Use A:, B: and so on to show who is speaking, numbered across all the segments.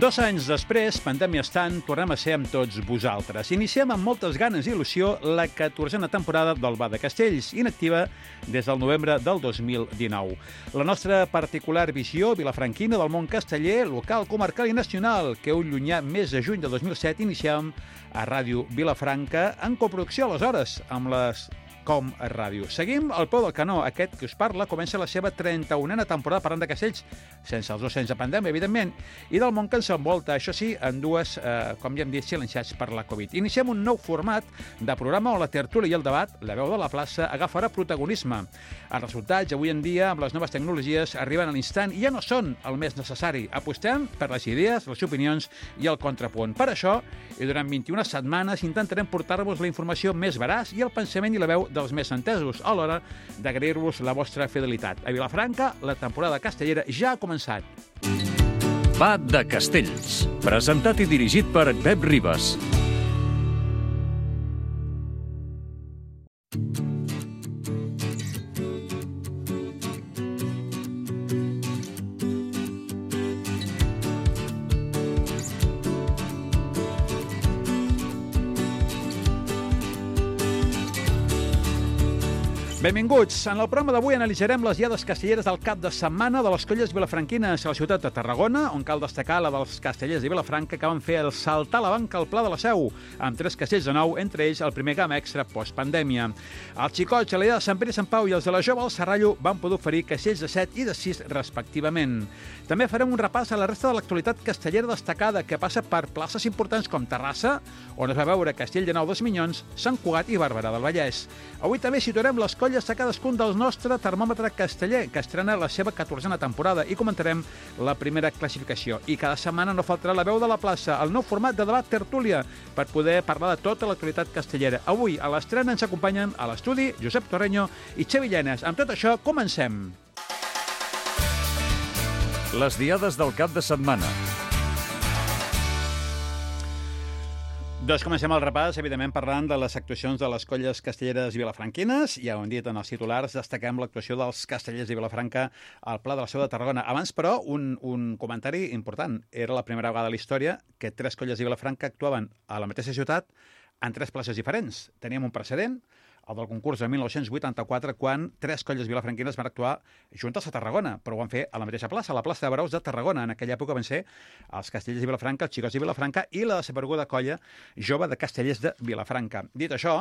A: 2 anys després, pandèmia estant, tornem a ser amb tots vosaltres. Iniciem amb moltes ganes i il·lusió la 14a temporada del Bar de Castells, inactiva des del novembre del 2019. La nostra particular visió vilafranquina del món casteller, local, comarcal i nacional, que un llunyà mes de juny de 2007 iniciem a Ràdio Vilafranca, en coproducció aleshores amb les Com a Ràdio. Seguim al peu del canó. Aquest que us parla comença la seva 31a temporada parlant de castells, sense els 2 anys de pandèmia, evidentment, i del món que ens envolta, això sí, en dues, com ja hem dit, silenciats per la Covid. Iniciem un nou format de programa on la tertúlia i el debat, la veu de la plaça, agafarà protagonisme. Els resultats, avui en dia, amb les noves tecnologies, arriben a l'instant i ja no són el més necessari. Apostem per les idees, les opinions i el contrapunt. Per això, i durant 21 setmanes, intentarem portar-vos la informació més veraç i el pensament i la veu dels més entesos, a l'hora d'agrair-vos la vostra fidelitat. A Vilafranca, la temporada castellera ja ha començat.
B: Va de Castells, presentat i dirigit per Pep Ribas.
A: Benvinguts. En el programa d'avui analitzarem les diades castelleres del cap de setmana de les colles vilafranquines a la ciutat de Tarragona, on cal destacar la dels castellers de Vilafranca que van fer el saltar la banca al Pla de la Seu, amb 3 castells de nou, entre ells el primer gamma extra postpandèmia. Els xicots, a l'Illa de Sant Pere i Sant Pau i els de la Jove al Serrallo van poder oferir castells de 7 i de 6 respectivament. També farem un repàs a la resta de l'actualitat castellera destacada que passa per places importants com Terrassa, on es va veure Castell de Nou dels Minyons, Sant Cugat i Barberà del Vallès. Avui també situarem les colles a cadascun dels nostre termòmetre casteller, que estrena la seva 14a temporada, i comentarem la primera classificació. I cada setmana no faltarà la veu de la plaça, el nou format de debat tertúlia, per poder parlar de tota l'actualitat castellera. Avui, a l'estrena, ens acompanyen a l'estudi Josep Torreño i Xavi Llenes. Amb tot això, comencem.
B: Les diades del cap de setmana.
A: Doncs comencem el repàs, evidentment, parlant de les actuacions de les colles castelleres vilafranquines. Ja ho hem dit en els titulars, destaquem l'actuació dels castellers de Vilafranca al Pla de la Seu de Tarragona. Abans, però, un comentari important. Era la primera vegada a la història que 3 colles de Vilafranca actuaven a la mateixa ciutat en 3 places diferents. Teníem un precedent, el del concurs de 1984, quan 3 colles vilafranquines van actuar juntes a Tarragona, però ho van fer a la mateixa plaça, a la plaça de Braus de Tarragona. En aquella època van ser els castellers de Vilafranca, els xicots de Vilafranca i la desapareguda colla jove de castellers de Vilafranca. Dit això,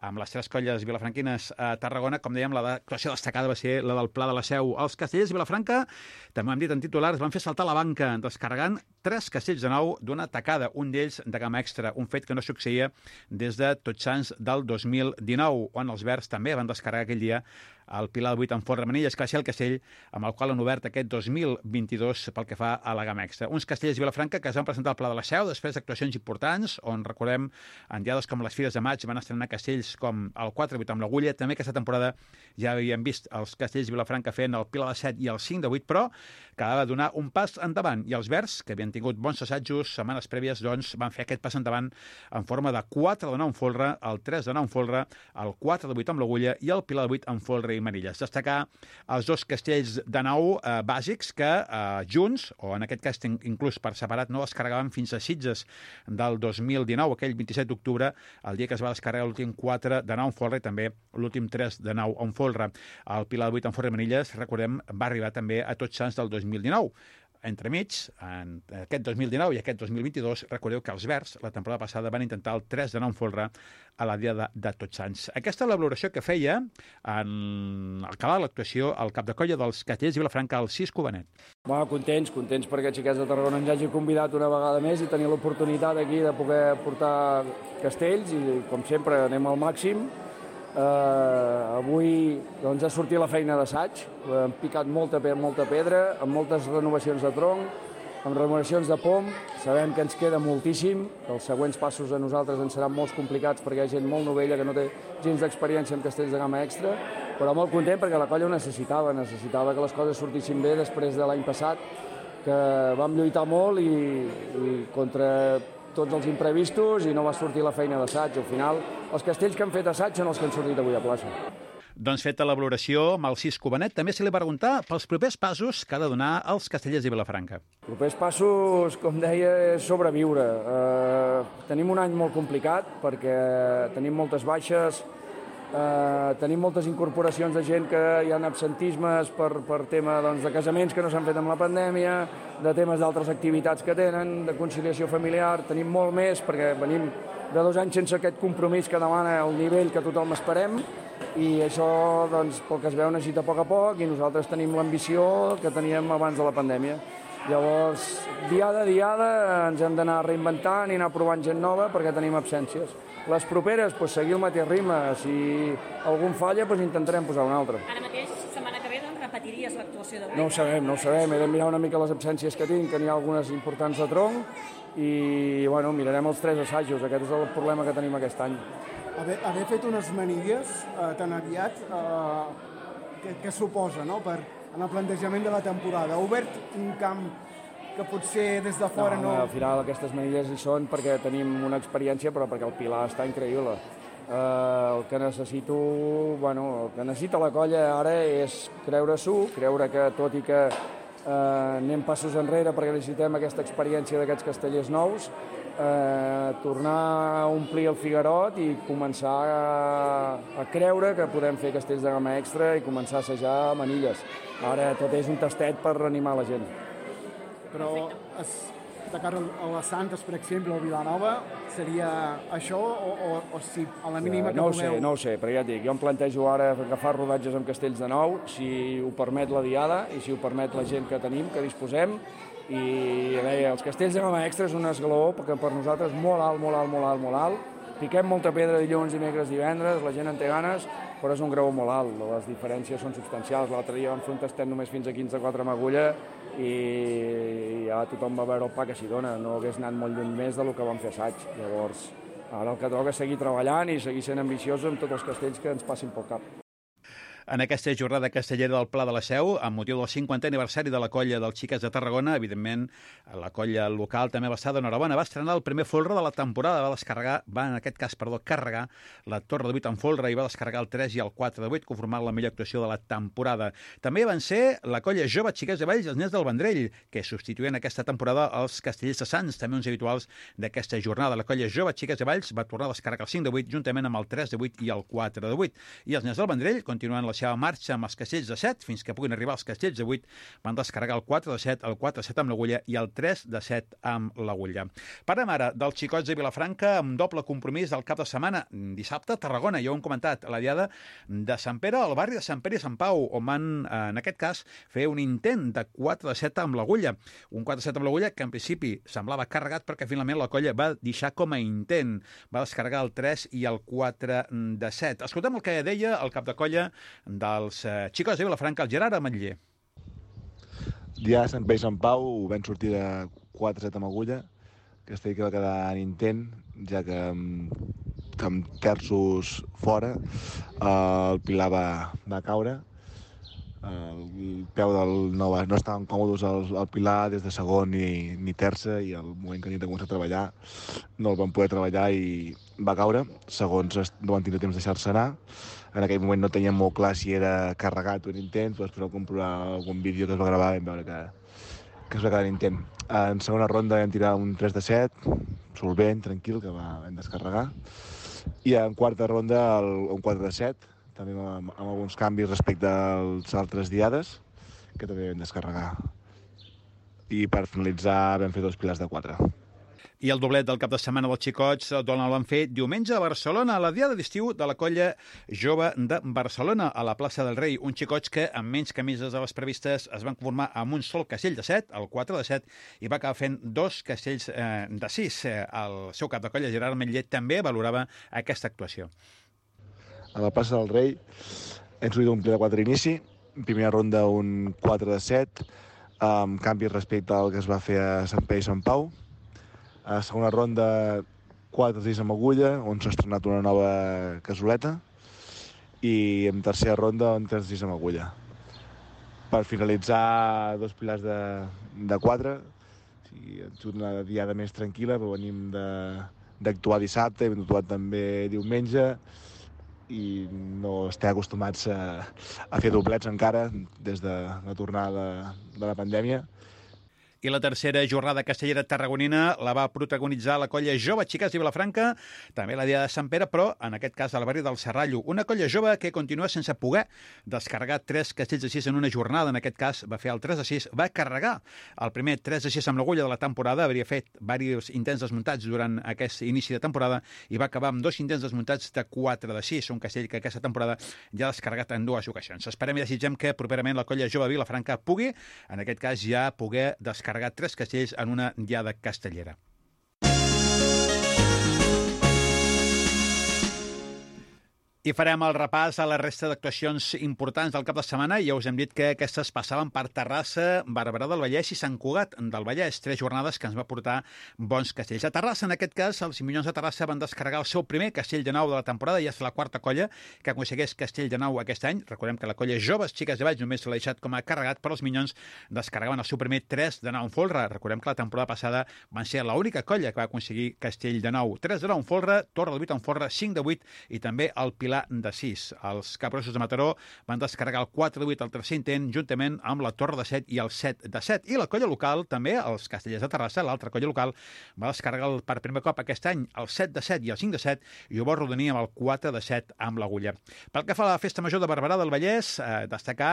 A: amb les 3 colles vilafranquines a Tarragona, com dèiem, l'actuació destacada va ser la del Pla de la Seu. Els castellers de Vilafranca, també ho hem dit en titulars, van fer saltar la banca, descarregant 3 castells de nou d'una tacada, un d'ells de gamma extra, un fet que no succeïa des de Tots Sants del 2019, on els Verds també van descarregar aquell dia el Pilar 8 en Font Remenilles, que va ser el castell amb el qual han obert aquest 2022 pel que fa a la gamma extra. Uns castells de Vilafranca que es van presentar al Pla de la Seu després d'actuacions importants, on recordem en diades com les Fires de Maig van estrenar castells com el 4-8 amb l'Agulla. També aquesta temporada ja havíem vist els castells de Vilafranca fent el Pilar de 7 i el 5 de 8, però quedava donar un pas endavant. I els Verds, que havien tingut bons assajos setmanes prèvies, doncs van fer aquest pas endavant en forma de 4 de 9 en folre, el 3 de 9 en folre, el 4 de 8 amb l'Agulla i el Pilar de 8 en folre i manilles. Destacar els 2 castells de nou bàsics que junts, o en aquest cas inclús per separat, no descarregaven fins a Sitges del 2019, aquell 27 d'octubre, el dia que es va descarregar l'últim 4 de 9 en folre i també l'últim 3 de 9 en folre. El Pilar de 8 en folre i manilles, recordem, va arribar també a Tots Sants del 2019. Entremig, en aquest 2019 i aquest 2022, recordeu que els Verds, la temporada passada, van intentar el 3 de 9 en folre a la dia de Tots Sants. Aquesta és la valoració que feia en el que va l'actuació al cap de colla dels castellers de Vilafranca, el Cis Cubanet.
C: Contents perquè xiquets de Tarragona ens hagi convidat una vegada més i tenir l'oportunitat aquí de poder portar castells i, com sempre, anem al màxim. Avui doncs, ha sortit la feina d'assaig, hem picat molta pedra, amb moltes renovacions de tronc, amb renovacions de pom. Sabem que ens queda moltíssim, que els següents passos a nosaltres ens seran molt complicats perquè hi ha gent molt novella que no té gens d'experiència en castells de gamma extra, però molt content perquè la colla ho necessitava que les coses sortissin bé després de l'any passat, que vam lluitar molt i contra tots els imprevistos i no va sortir la feina d'assaig. Al final, els castells que han fet assaig són els que han sortit avui a plaça.
A: Doncs feta la valoració amb el Cisco Benet, també se li va preguntar pels propers passos que ha de donar els Castellers de Vilafranca.
C: Els propers passos, com deia, és sobreviure. Tenim un any molt complicat perquè tenim moltes baixes, tenim moltes incorporacions de gent que hi ha absentismes per tema de casaments que no s'han fet amb la pandèmia, de temes d'altres activitats que tenen, de conciliació familiar. Tenim molt més perquè venim de 2 anys sense aquest compromís que demana el nivell que tothom esperem, i això, doncs, pel que es veu, necessita a poc, i nosaltres tenim l'ambició que teníem abans de la pandèmia. Llavors, diada a diada, ens hem d'anar reinventant i anar provant gent nova perquè tenim absències. Les properes, doncs, seguir el mateix ritme. Si algun falla, doncs intentarem posar un altre.
D: Ara mateix, setmana que ve, doncs, repetiries l'actuació d'avui?
C: No ho sabem. He de mirar una mica les absències que tinc, que n'hi ha algunes importants de tronc, i bueno, mirarem els 3 assajos. Aquest és el problema que tenim aquest any.
E: Haver fet unes manilles tan aviat, què suposa, no?, en el plantejament de la temporada? Ha obert un camp que potser des de fora no...
C: Al final aquestes manilles hi són perquè tenim una experiència, però perquè el Pilar està increïble. El que necessita la colla ara és creure-s'ho, creure que tot i que anem passos enrere perquè necessitem aquesta experiència d'aquests castellers nous, tornar a omplir el Figuerot i començar a creure que podem fer castells de gamma extra i començar a assajar manilles. Ara tot és un tastet per animar la gent.
E: Però de cara a les Santes, per exemple, o Vilanova, seria això o si a la mínima que voleu...
C: No ho sé, però ja et dic, jo em plantejo ara agafar rodatges amb castells de nou, si ho permet la diada i si ho permet la gent que tenim, que disposem, i deia, els castells de gamma extra és un esglaó perquè per nosaltres molt alt. Piquem molta pedra dilluns, dimecres, divendres, la gent en té ganes, però és un graó molt alt, les diferències són substancials. L'altre dia vam fer un tastet només fins a 15-4 amb agulla i ja tothom va veure el pa que s'hi dona, no hagués anat molt lluny més del que vam fer assaig. Llavors, ara el que toca és seguir treballant i seguir sent ambiciosos amb tots els castells que ens passin pel cap.
A: En aquesta jornada castellera del Pla de la Seu, amb motiu del 50è aniversari de la colla dels Xiques de Tarragona, evidentment, la colla local també va estar d'enhorabona. Va estrenar el primer folre de la temporada, carregar la Torre de 8 en folre i va descarregar el 3 i el 4 de 8, conformant la millor actuació de la temporada. També van ser la colla jove Xiques de Valls, els nens del Vendrell, que substituïen aquesta temporada els castellers de Sants, també uns habituals d'aquesta jornada. La colla jove Xiques de Valls va tornar a descarregar el 5 de 8, juntament amb el 3 de 8 i el 4 de 8. I els nens del Vendrell, continuant la seva marxa amb els castells de 7, fins que puguin arribar els castells de 8, van descarregar el 4 de 7, el 4 de 7 amb l'agulla i el 3 de 7 amb l'agulla. Parlem ara dels xicots de Vilafranca amb doble compromís del cap de setmana. Dissabte, Tarragona, ja ho hem comentat, a la diada de Sant Pere, al barri de Sant Pere i Sant Pau, on van, en aquest cas, fer un intent de 4 de 7 amb l'agulla. Un 4 de 7 amb l'agulla que en principi semblava carregat perquè finalment la colla va deixar com a intent. Va descarregar el 3 i el 4 de 7. Escoltem el que deia el cap de colla dels xicots de Vilafranca, el Gerard Ametller.
F: Ja a Sant Pere i Sant Pau vam sortir de 4-7 amb agulla, que que va quedar en intent, ja que amb terços fora el Pilar va caure. El peu del no estaven còmodes al Pilar des de segon ni terça, i al moment que han de començar a treballar no el van poder treballar i va caure. Segons no van tenir temps de deixar-se anar. En aquell moment no teníem molt clar si era carregat o en intent, però després al comprovar algun vídeo que es va gravar vam veure que es va quedar en intent. En segona ronda vam tirar un 3 de 7, solvent, tranquil, que vam descarregar. I en quarta ronda un 4 de 7, també amb alguns canvis respecte als altres diades, que també vam descarregar. I per finalitzar vam fer 2 pilars de 4.
A: I el doblet del cap de setmana dels xicots el van fer diumenge a Barcelona, a la diada d'estiu de la colla jove de Barcelona, a la plaça del Rei. Uns xicots que, amb menys camises de les previstes, es van conformar amb un sol castell de 7, el 4 de 7, i va acabar fent 2 castells de 6. El seu cap de colla, Gerard Ametller, també valorava aquesta actuació.
F: A la plaça del Rei hem sortit un pli de 4 inici, primera ronda un 4 de 7, amb canvis respecte al que es va fer a Sant Pere i Sant Pau. A segona ronda 4 de 6 amb agulla, on s'ha estrenat una nova casoleta, i en tercera ronda un 3 de 6 amb agulla. Per finalitzar 2 pilars de 4, ha sigut una diada més tranquil·la, però venim d'actuar dissabte, hem actuat també diumenge, i no estem acostumats a fer doblets encara des de la tornada de la pandèmia.
A: I la tercera jornada castellera tarragonina la va protagonitzar la colla jove Xiques de Vilafranca, també la Diada de Sant Pere, però en aquest cas al barri del Serrallo. Una colla jove que continua sense poder descarregar 3 castells de 6 en una jornada. En aquest cas va fer el 3 de 6, va carregar el primer 3 de 6 amb l'agulla de la temporada, hauria fet diversos intents desmuntats durant aquest inici de temporada i va acabar amb 2 intents desmuntats de 4 de 6, un castell que aquesta temporada ja ha descarregat en 2 ocasions. Esperem i desitgem que properament la colla jove de Vilafranca pugui, en aquest cas ja poder descarregar 3 castells en una diada castellera. I farem el repàs a la resta d'actuacions importants del cap de setmana. Ja us hem dit que aquestes passaven per Terrassa, Barberà del Vallès i Sant Cugat del Vallès. 3 jornades que ens va portar bons castells. A Terrassa, en aquest cas, els Minyons de Terrassa van descarregar el seu primer castell de 9 de la temporada i és la 4a colla que aconsegueix castell de 9 aquest any. Recordem que la colla Joves Xiques de Valls només l'ha deixat com a carregat, però els Minyons descarregaven el seu primer 3 de 9 en folre. Recordem que la temporada passada van ser l'única colla que va aconseguir castell de 9. 3 de 9 en folre, Torre del 8 en folre, 5 de 8 i també el Pilar de 6. Els Capgrossos de Mataró van descarregar el 4 de 8 al tercer intent, juntament amb la Torre de 7 i el 7 de 7. I la colla local, també, els Castellers de Terrassa, l'altra colla local, va descarregar per primer cop aquest any el 7 de 7 i el 5 de 7 i ho va rodonir amb el 4 de 7 amb l'agulla. Pel que fa a la Festa Major de Barberà del Vallès, destacar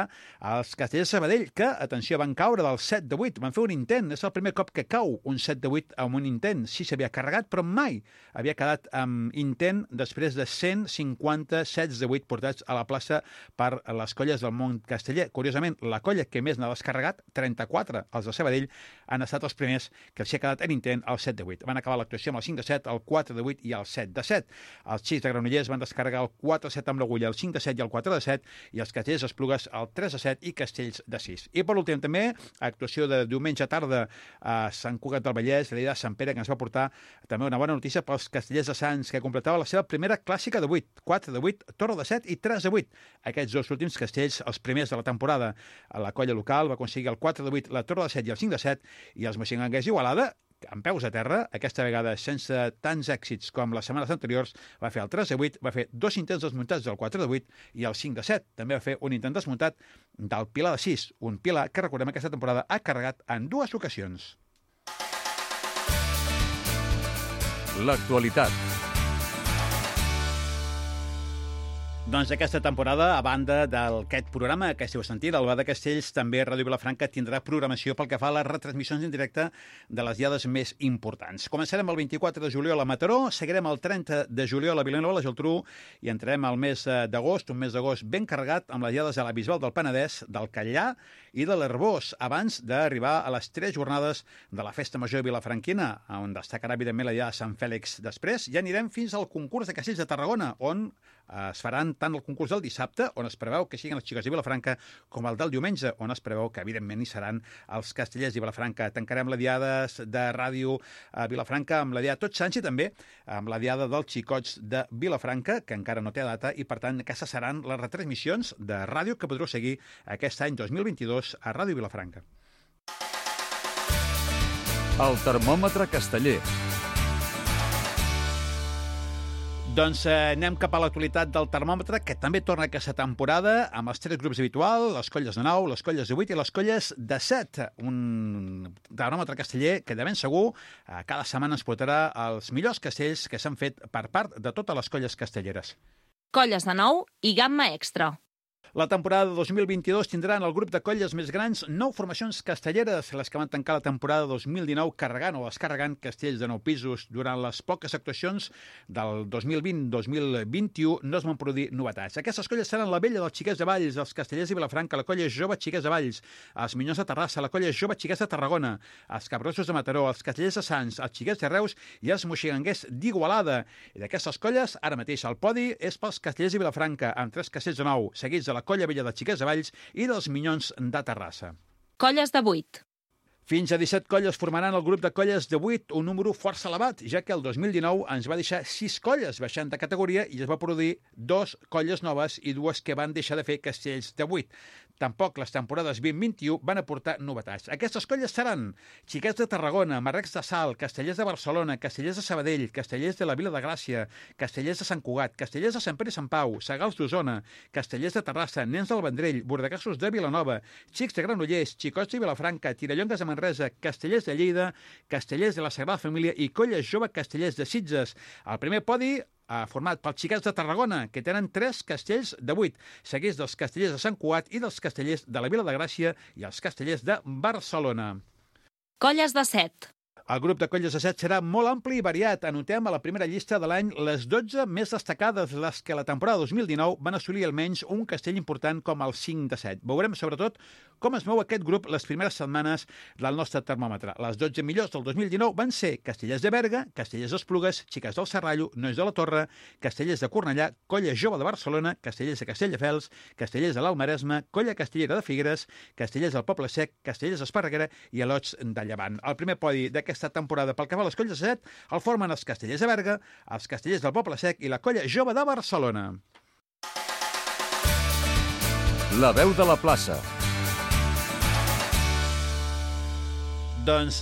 A: els Castellers de Sabadell, que, atenció, van caure del 7 de 8, van fer un intent, és el primer cop que cau un 7 de 8 amb un intent. Sí s'havia carregat, però mai havia quedat amb intent després de 150 sets de 8 portats a la plaça per les colles del món casteller. Curiosament, la colla que més n'ha descarregat, 34, els de Sabadell, han estat els primers que els hi ha quedat en intent el 7 de 8. Van acabar l'actuació amb el 5 de 7, el 4 de 8 i el 7 de 7. Els Xics de Granollers van descarregar el 4 de 7 amb l'agulla, el 5 de 7 i el 4 de 7, i els Castellers d'Esplugues el 3 de 7 i Castells de 6. I per últim també, actuació de diumenge tarda a Sant Cugat del Vallès, la Diada de Sant Pere, que ens va portar també una bona notícia pels Castellers de Sants, que completava la seva primera clàssica de 8, 4 de 8, Torre de 7 i 3 de 8. Aquests 2 últims castells, els primers de la temporada. La colla local va aconseguir el 4 de 8, la Torre de 7 i el 5 de 7, i els moixinganguers d'Igualada, amb peus a terra, aquesta vegada sense tants èxits com les setmanes anteriors, va fer el 3 de 8, va fer 2 intents desmuntats del 4 de 8 i el 5 de 7. També va fer un intent desmuntat del Pilar de 6, un Pilar que, recordem, aquesta temporada ha carregat en 2 ocasions.
B: L'actualitat.
A: Doncs aquesta temporada, a banda d'aquest programa que esteu sentint, el Bar de Castells, també Ràdio Vilafranca tindrà programació pel que fa a les retransmissions en directe de les diades més importants. Començarem el 24 de juliol a Mataró, seguirem el 30 de juliol a Vilanova i la Geltrú i entrarem al mes d'agost, un mes d'agost ben carregat amb les diades a la Bisbal del Penedès, del Catllà i de l'Arbós, abans d'arribar a les 3 jornades de la Festa Major vilafranquina, on destacarà evidentment la diada de Sant Fèlix després. Ja anirem fins al concurs de castells de Tarragona, on es faran tant el concurs del dissabte, on es preveu que siguin les Xiques de Vilafranca, com el del diumenge, on es preveu que, evidentment, hi seran els Castellers de Vilafranca. Tancarem la diada de ràdio a Vilafranca amb la diada Tots Sants i també amb la diada dels Xicots de Vilafranca, que encara no té data, i, per tant, aquestes seran les retransmissions de ràdio que podreu seguir aquest any 2022 a Ràdio Vilafranca.
B: El termòmetre casteller.
A: Doncs anem cap a l'actualitat del termòmetre, que també torna aquesta temporada amb els 3 grups habituals, les colles de 9, les colles de 8 i les colles de 7. Un termòmetre casteller que de ben segur cada setmana ens portarà els millors castells que s'han fet per part de totes les colles castelleres.
G: Colles de 9 i gamma extra.
A: La temporada 2022 tindrà en el grup de colles més grans 9 formacions castelleres, les que van tancar la temporada 2019 carregant o descarregant castells de 9 pisos. Durant les poques actuacions del 2020-2021 no es van produir novetats. Aquestes colles seran la Vella dels Xiquets de Valls, els Castellers de Vilafranca, la colla Jove Xiquets de Valls, els Minyons de Terrassa, la colla Jove Xiquets de Tarragona, els Capgrossos de Mataró, els Castellers de Sants, els Xiquets de Reus i els moixinganguers d'Igualada. I d'aquestes colles, ara mateix el podi és pels Castellers de Vilafranca, amb 3 castells de 9, seguits de la colla Vella de Xiquets de Valls i dels Minyons de Terrassa.
G: Colles de 8.
A: Fins a 17 colles formaran el grup de colles de 8, un número força elevat, ja que el 2019 ens va deixar 6 colles baixant de categoria i es va produir 2 colles noves i 2 que van deixar de fer castells de 8. tampoc les temporades 20-21 van aportar novetats. Aquestes colles seran Xiquets de Tarragona, Marrecs de Salt, Castellers de Barcelona, Castellers de Sabadell, Castellers de la Vila de Gràcia, Castellers de Sant Cugat, Castellers de Sant Pere i Sant Pau, Segals d'Osona, Castellers de Terrassa, Nens del Vendrell, Bordegassos de Vilanova, Xics de Granollers, Xicots de Vilafranca, Tirallongues de Manresa, Castellers de Lleida, Castellers de la Sagrada Família i Colla Jove Castellers de Sitges. El primer podi format pels Xiquets de Tarragona, que tenen 3 castells de 8, seguits dels Castellers de Sant Cugat i dels Castellers de la Vila de Gràcia i els Castellers de Barcelona.
G: Colles de 7.
A: El grup de colles de 7 serà molt ampli i variat. Anotem a la primera llista de l'any les 12 més destacades, les que la temporada 2019 van assolir almenys un castell important com el 5 de 7. Veurem, sobretot, com es mou aquest grup les primeres setmanes del nostre termòmetre. Les 12 millors del 2019 van ser Castellers de Berga, Castellers d'Esplugues, Xiques del Serrallo, Nois de la Torre, Castellers de Cornellà, Colla Jove de Barcelona, Castellers de Castelldefels, Castellers de l'Almaresme, Colla Castellera de Figueres, Castellers del Poble Sec, Castellers d'Esparreguera i Alots de Llevant. El primer podi d'aquesta temporada pel que fa a les colles de 7 el formen els Castellers de Berga, els Castellers del Poble Sec i la Colla Jove de Barcelona.
B: La veu de la plaça.
A: Doncs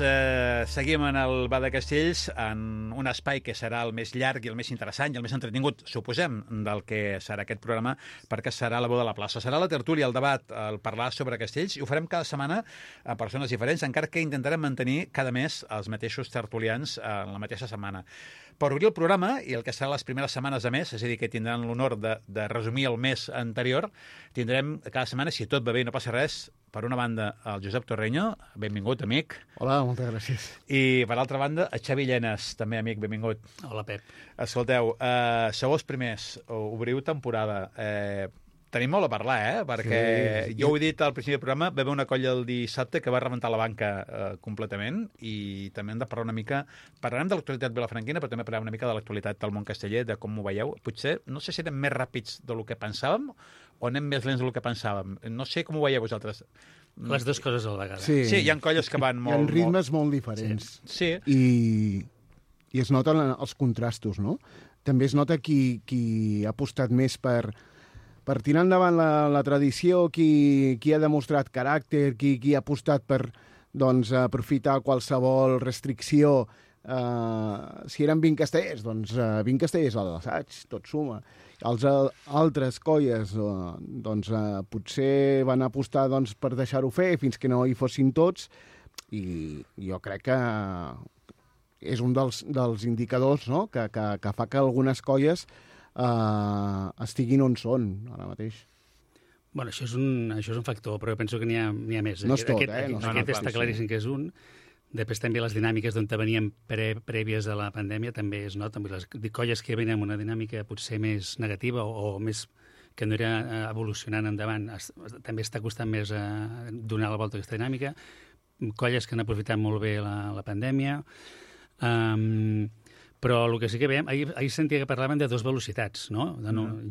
A: seguim en el Bar de Castells, en un espai que serà el més llarg i el més interessant i el més entretingut, suposem, del que serà aquest programa, perquè serà la veu de la plaça. Serà la tertúlia, el debat, el parlar sobre castells, i ho farem cada setmana a persones diferents, encara que intentarem mantenir cada mes els mateixos tertulians en la mateixa setmana. Per obrir el programa, i el que serà les primeres setmanes de mes, és a dir, que tindran l'honor de resumir el mes anterior, tindrem cada setmana, si tot va bé i no passa res, per una banda, el Josep Torreño, benvingut, amic.
H: Hola, moltes gràcies.
A: I, per altra banda, el Xavi Llenes, també amic, benvingut.
I: Hola, Pep.
A: Escolteu, sou els primers, obriu temporada. Tenim molt a parlar, perquè sí. Jo ho he dit al principi del programa, va haver una colla el dissabte que va rebentar la banca completament i també hem de parlar una mica... Parlarem de l'actualitat vilafranquina, però també parlarem una mica de l'actualitat del món casteller, de com ho veieu. Potser, no sé si anem més ràpids del que pensàvem o anem més lents del que pensàvem. No sé com ho veieu vosaltres.
I: Les dues coses a la vegada.
A: Sí, hi ha colles que van molt...
H: Hi ha ritmes molt diferents.
A: Sí.
H: I es noten els contrastos, no? També es nota qui ha apostat més per tirar endavant la tradició, qui ha demostrat caràcter, qui ha apostat per aprofitar qualsevol restricció. Si eren 20 castellers, doncs 20 castellers a l'assaig, tot suma. Els altres colles potser van apostar per deixar-ho fer fins que no hi fossin tots, i jo crec que és un dels indicadors, no? que fa que algunes colles estiguin on són ara mateix.
I: Bueno, això és un factor, però jo penso que n'hi ha més.
H: No és tot,
I: Aquest està claríssim que és un. Després també les dinàmiques d'on veníem prèvies a la pandèmia també es noten. Les colles que venen amb una dinàmica potser més negativa o més que no era evolucionant endavant, també està costant més donar la volta a aquesta dinàmica. Colles que han aprofitat molt bé la pandèmia. Però el que sí que veiem, ahir sentia que parlaven de 2 velocitats, no?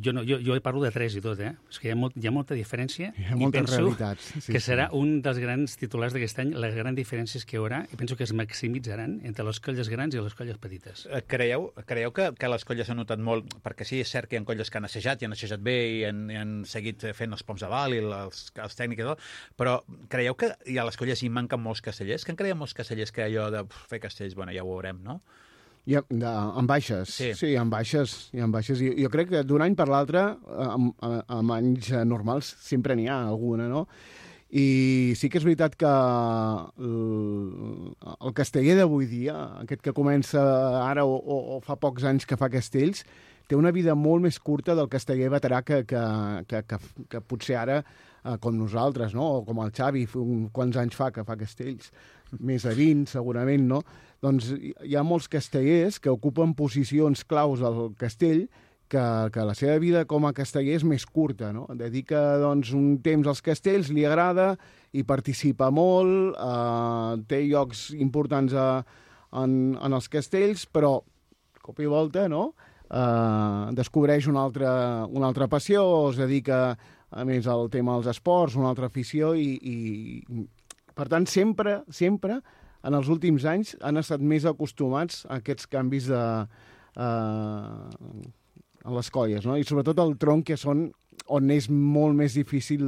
I: Jo parlo de 3 i tot, És que hi ha molta diferència.
H: Hi ha moltes realitats.
I: Que serà un dels grans titulars d'aquest any, les grans diferències que hi haurà, i penso que es maximitzaran entre les colles grans i les colles petites.
A: Creieu que les colles han notat molt, perquè sí, és cert que hi ha colles que han assajat, i han assajat bé, i han seguit fent els poms de dalt i els tècnics i tot, però creieu que a les colles hi manquen molts castellers? Que en creiem molts castellers que allò de fer castells, bueno, ja ho veurem, no?
H: En baixes, sí, en baixes. Jo crec que d'un any per l'altre, amb anys normals, sempre n'hi ha alguna, no? I sí que és veritat que el casteller d'avui dia, aquest que comença ara o fa pocs anys que fa castells, té una vida molt més curta del casteller veterà que potser ara, com nosaltres, no? O com el Xavi, quants anys fa que fa castells? Més de 20, segurament, no? Doncs hi ha molts castellers que ocupen posicions claus al castell que la seva vida com a casteller és més curta, no? Dedica un temps als castells, li agrada, i participa molt, té llocs importants en els castells, però, cop i volta, no? Descobreix una altra passió, es dedica a més al tema dels esports, una altra afició, i per tant, sempre, en els últims anys, han estat més acostumats a aquests canvis a les colles, no? I sobretot el tronc, que són on és molt més difícil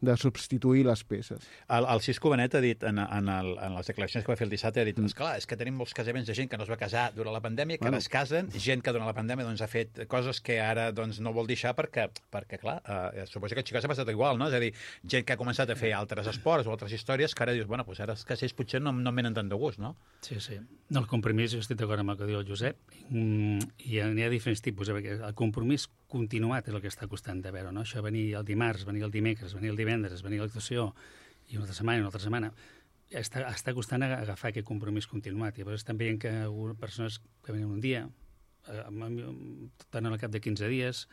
H: de substituir les peces.
A: El Cisco Benet ha dit, en les declaracions que va fer el dissabte, ha dit, esclar, és que tenim molts casaments de gent que no es va casar durant la pandèmia, que ara es casen, gent que durant la pandèmia doncs, ha fet coses que ara doncs, no vol deixar perquè clar, suposo que a Xicot s'ha passat igual, no? És a dir, gent que ha començat a fer altres esports o altres històries que ara dius, bueno, doncs ara els casells potser no em venen tant de gust, no?
I: Sí. No, el compromís, jo estic d'acord amb el que diu el Josep, i n'hi ha diferents tipus, perquè el compromís continuat és el que està costant de veure, no? Això venir el dimarts, venir el dimecres, venir el divendres, venir a l'actuació, i una altra setmana, està costant agafar aquest compromís continuat. I llavors estan veient que persones que venen un dia, tornen al cap de 15 dies,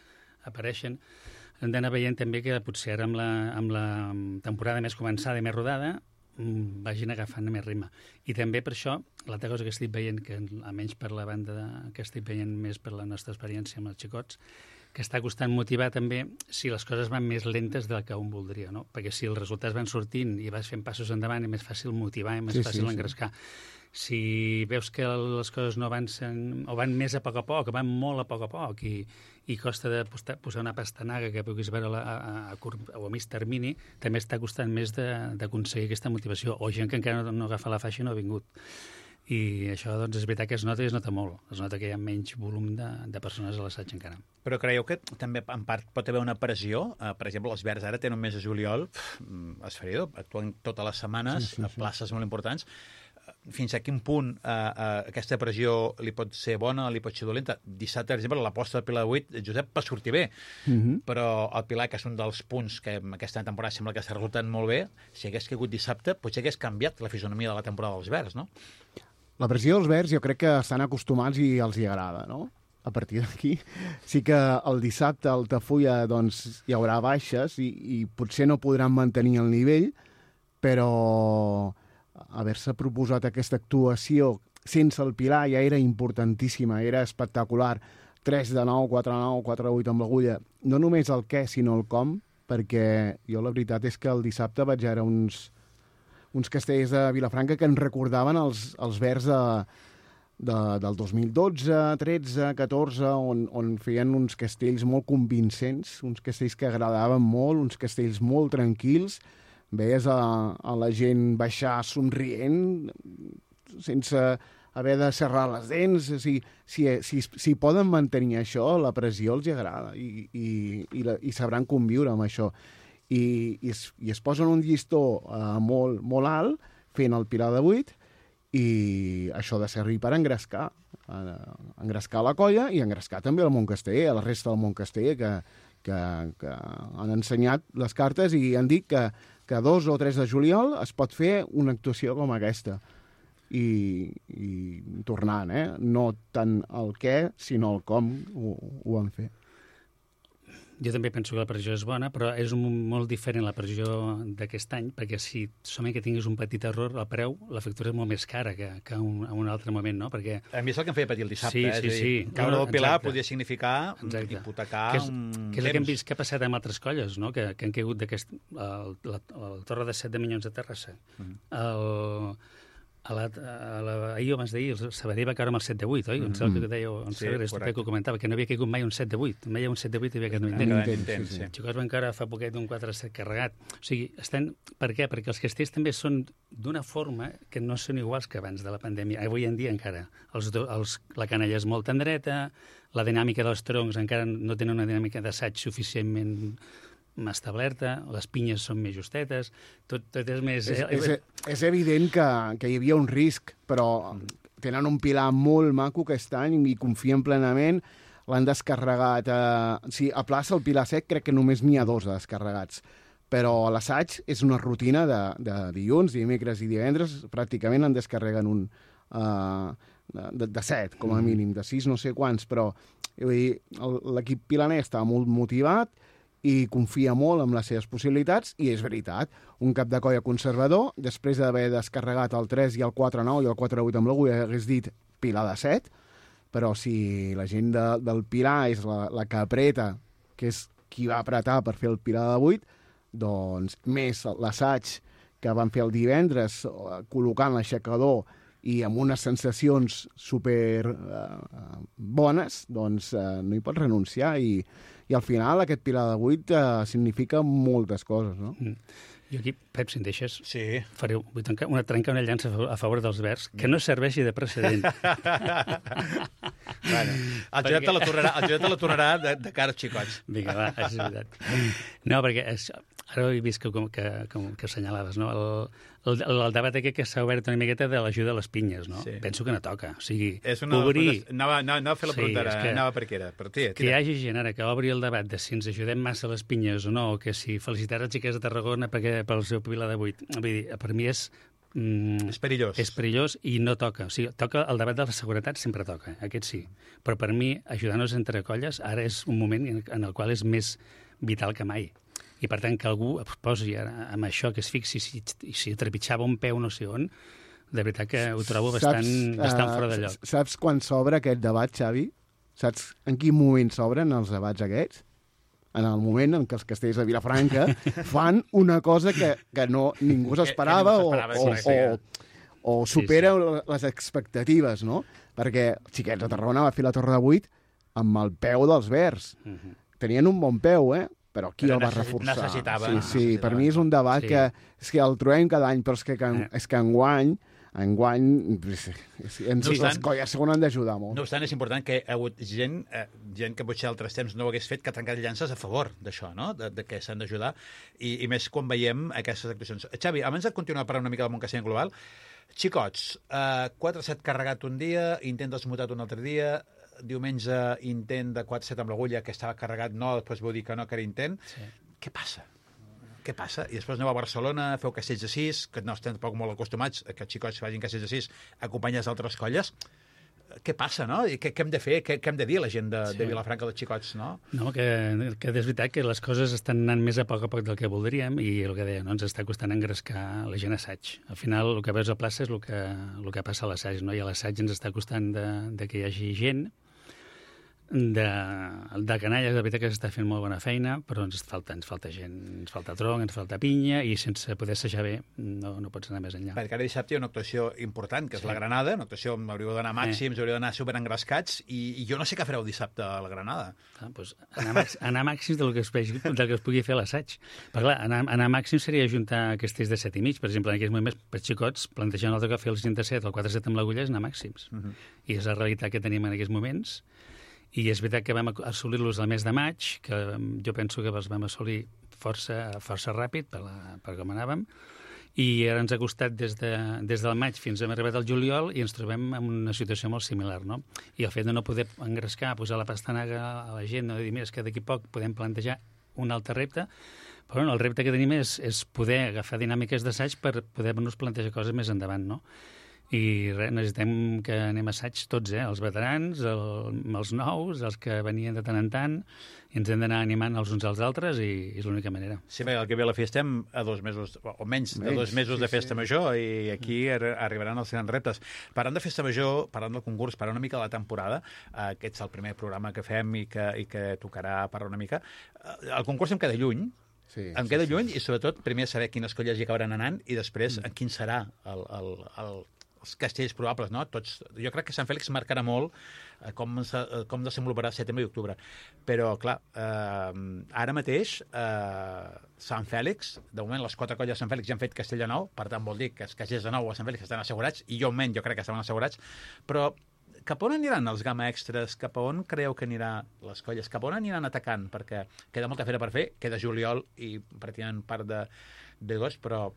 I: apareixen. Hem d'anar veient també que potser ara amb la temporada més començada i més rodada vagin agafant més ritme. I també per això, l'altra cosa que estic veient, que almenys per la banda que estic veient més per la nostra experiència amb els xicots, que està costant motivar també si les coses van més lentes del que un voldria, no? Perquè si els resultats van sortint i vas fent passos endavant, és més fàcil motivar i més fàcil engrescar. Si veus que les coses no avancen, o van més a poc, o van molt a poc, i costa de posar una pastanaga que puguis veure a curt o a mig termini, també està costant més d'aconseguir aquesta motivació. O gent que encara no agafa la faixa i no ha vingut. I això, doncs, és veritat que es nota i es nota molt. Es nota que hi ha menys volum de persones a l'assaig encara.
A: Però creieu que també, en part, pot haver una pressió? Per exemple, els Verds ara tenen un mes de juliol esferidor, actuen totes les setmanes a places molt importants. Fins a quin punt aquesta pressió li pot ser bona, li pot ser dolenta? Dissabte, per exemple, l'aposta del Pilar de 8, Josep, va sortir bé, però el Pilar, que és un dels punts que aquesta temporada sembla que està resultant molt bé, si hagués caigut dissabte, potser hagués canviat la fisonomia de la temporada dels Verds, no?
H: La pressió dels Verds jo crec que estan acostumats i els hi agrada, no? A partir d'aquí sí que el dissabte al Tafulla doncs, hi haurà baixes i potser no podran mantenir el nivell, però haver-se proposat aquesta actuació sense el Pilar ja era importantíssima, era espectacular. 3 de 9, 4 de 9, 4 de 8 amb l'agulla. No només el què, sinó el com, perquè jo la veritat és que el dissabte vaig veure uns castells de Vilafranca que ens recordaven els Verds del 2012, 13, 14, on feien uns castells molt convincents, uns castells que agradaven molt, uns castells molt tranquils. Veies a la gent baixar somrient, sense haver de serrar les dents. Si poden mantenir això, la pressió els agrada i sabran conviure amb això. I es posen un llistó molt, molt alt, fent el Pilar de 8, i això ha de servir per engrescar la colla i engrescar també el Montcasteller, a la resta del Montcasteller, que han ensenyat les cartes i han dit que 2 o 3 de juliol es pot fer una actuació com aquesta. I tornant, no tant el què, sinó el com ho han fet.
I: Jo també penso que la pressió és bona, però és molt diferent la pressió d'aquest any, perquè si solament que tinguis un petit error, el preu, la factura és molt més cara que en un altre moment, no? Perquè...
A: A mi és el que em feia patir el dissabte.
I: Sí.
A: Caure del Pilar podia significar hipotecar un temps.
I: Que és el que hem vist que ha passat amb altres colles, no? Que han caigut d'aquest... La Torre de 7 de Minyons de Terrassa. Ahir o abans d'ahir, el Sabadell va caure amb el 7 de 8, oi? On sap que dèieu, que ho comentava, que no havia caigut mai un 7 de 8. Mai hi ha un 7 de 8 i havia caigut un intent. Els Xicots van caure fa poquet d'un 4 de 7 carregat. O sigui, per què? Perquè els castells també són d'una forma que no són iguals que abans de la pandèmia. Avui en dia encara. La canalla és molt tendreta, la dinàmica dels troncs encara no tenen una dinàmica d'assaig suficientment establerta, les pinyes són més justetes, tot és més...
H: És evident que hi havia un risc, però tenen un Pilar molt maco aquest any i confien plenament, l'han descarregat. A plaça el Pilar Sec crec que només n'hi ha 2 descarregats, però l'assaig és una rutina de dilluns, dimecres i divendres, pràcticament en descarreguen un de 7, com a mínim, de 6 no sé quants, però l'equip pilaner està molt motivat i confia molt en les seves possibilitats, i és veritat, un cap de colla conservador, després d'haver descarregat el 3 i el 4-9 i el 4-8 amb l'agulla, hagués dit Pilar de 7, però si la gent del Pilar és la que apreta, que és qui va apretar per fer el Pilar de 8, doncs més l'assaig que van fer el divendres, col·locant l'aixecador i amb unes sensacions super bones, doncs no hi pots renunciar, i al final aquest pilar de 8 significa moltes coses, no?
I: Jo aquí, Pep, si em deixes,
A: Sí.
I: faré trencar una llança a favor dels Verds, que no serveixi de precedent.
A: Bueno, el Josep te la tornarà de cara als xicots.
I: Vinga, va, és veritat. No, perquè ara he vist que assenyalaves, no? El debat aquest que s'ha obert una miqueta de l'ajuda a les pinyes, no?
A: Sí.
I: Penso que no toca. O sigui,
A: Obrir... Anava a fer la pregunta,
I: és que,
A: anava per què era. Però, tia,
I: que hi hagi gent ara que obri el debat de si ens ajudem massa a les pinyes o no, o que si felicitar els xiquets de Tarragona pel seu pilar de 8. Vull dir, per mi és
A: perillós.
I: És perillós i no toca. O sigui, toca el debat de la seguretat, sempre toca, aquest sí. Però per mi, ajudar-nos entre colles, ara és un moment en el qual és més vital que mai. I per tant, que algú es posi amb això, que es fixi si trepitjava un peu no sé on, de veritat que ho trobo bastant fora de lloc.
H: Saps quan s'obre aquest debat, Xavi? Saps en quin moment s'obren els debats aquests? En el moment en què els castells de Vilafranca fan una cosa que ningú s'esperava o supera les expectatives, no? Perquè els xiquets de Tarragona va fer la Torre de 8 amb el peu dels Verds. Tenien un bon peu, però qui el va reforçar?
A: Necessitava.
H: Sí, per mi és un debat que el trobem cada any, però és que enguany les colles segon han d'ajudar molt.
A: No obstant, és important que hi ha hagut gent que potser altres temps no ho hagués fet, que ha trencat llances a favor d'això, no? De que s'han d'ajudar, i més quan veiem aquestes actuacions. Xavi, abans de continuar parlant una mica del món castellà global, xicots, 4-7 carregat un dia, intent desmutat un altre dia, diumenge intent de 4-7 amb l'agulla que estava carregat, no, després vau dir que no, que era intent. Sí. Què passa? Què passa? I després aneu a Barcelona, feu castells de 6, que no estem tampoc molt acostumats que els xicots facin castells de 6 acompanyats d'altres colles. Què passa, no? I què hem de fer? Què hem de dir a la gent de Vilafranca dels xicots, no?
I: No, que és veritat que les coses estan anant més a poc del que voldríem i el que deia, no, ens està costant engrescar la gent a assaig. Al final, el que veus a plaça és el que passa a l'assaig, no? I a l'assaig ens està costant de que hi hagi gent, de canalla, de veritat que s'està fent molt bona feina, però ens falta gent, ens falta tronc, ens falta pinya, i sense poder assajar bé no pots anar més enllà.
A: Perquè ara dissabte hi ha una actuació important, que és la Granada, una actuació on hauríeu d'anar màxims, hauríeu d'anar superengrescats, i jo no sé què fareu dissabte a la Granada.
I: Doncs anar màxims del que es pugui fer a l'assaig. Perquè clar, anar màxims seria ajuntar castells de 7 i mig, per exemple, en aquests moments, per xicots, plantejant el que fer els gent de 7, el 4-7 amb l'agulla és anar màxims. I és la realitat que tenim en aquests moments. I és veritat que vam assolir-los al mes de maig, que jo penso que els vam assolir força ràpid per com anàvem, i ara ens ha costat des del maig fins a hem arribat al juliol i ens trobem en una situació molt similar, no? I el fet de no poder engrescar, posar la pastanaga a la gent, no dir, mira, és que d'aquí poc podem plantejar un altre repte, però el repte que tenim és poder agafar dinàmiques d'assaig per poder-nos plantejar coses més endavant, no? I res, necessitem que anem a assaig tots, els veterans, els nous, els que venien de tant en tant, i ens hem d'anar animant els uns als altres, i és l'única manera.
A: Sí, perquè el que ve la festa estem a 2 mesos, o menys de 2 mesos de festa major, i aquí arribaran els grans reptes. Parlant de festa major, parlant del concurs, parlant una mica de la temporada, aquest és el primer programa que fem i que tocarà parlar una mica. El concurs em queda lluny, em queda lluny, i sobretot primer saber quines colles hi acabaran anant i després quin serà els castells probables, no? Jo crec que Sant Fèlix marcarà molt com desenvoluparà setembre i octubre. Però, clar, ara mateix Sant Fèlix, de moment les 4 colles de Sant Fèlix ja han fet castell de nou, per tant vol dir que els castells de nou a Sant Fèlix estan assegurats, i jo almenys jo crec que estaven assegurats, però cap on aniran els gamma extras? Cap on creieu que aniran les colles? Cap on aniran atacant? Perquè queda molta feina per fer, queda juliol i pràcticament part d'agost, però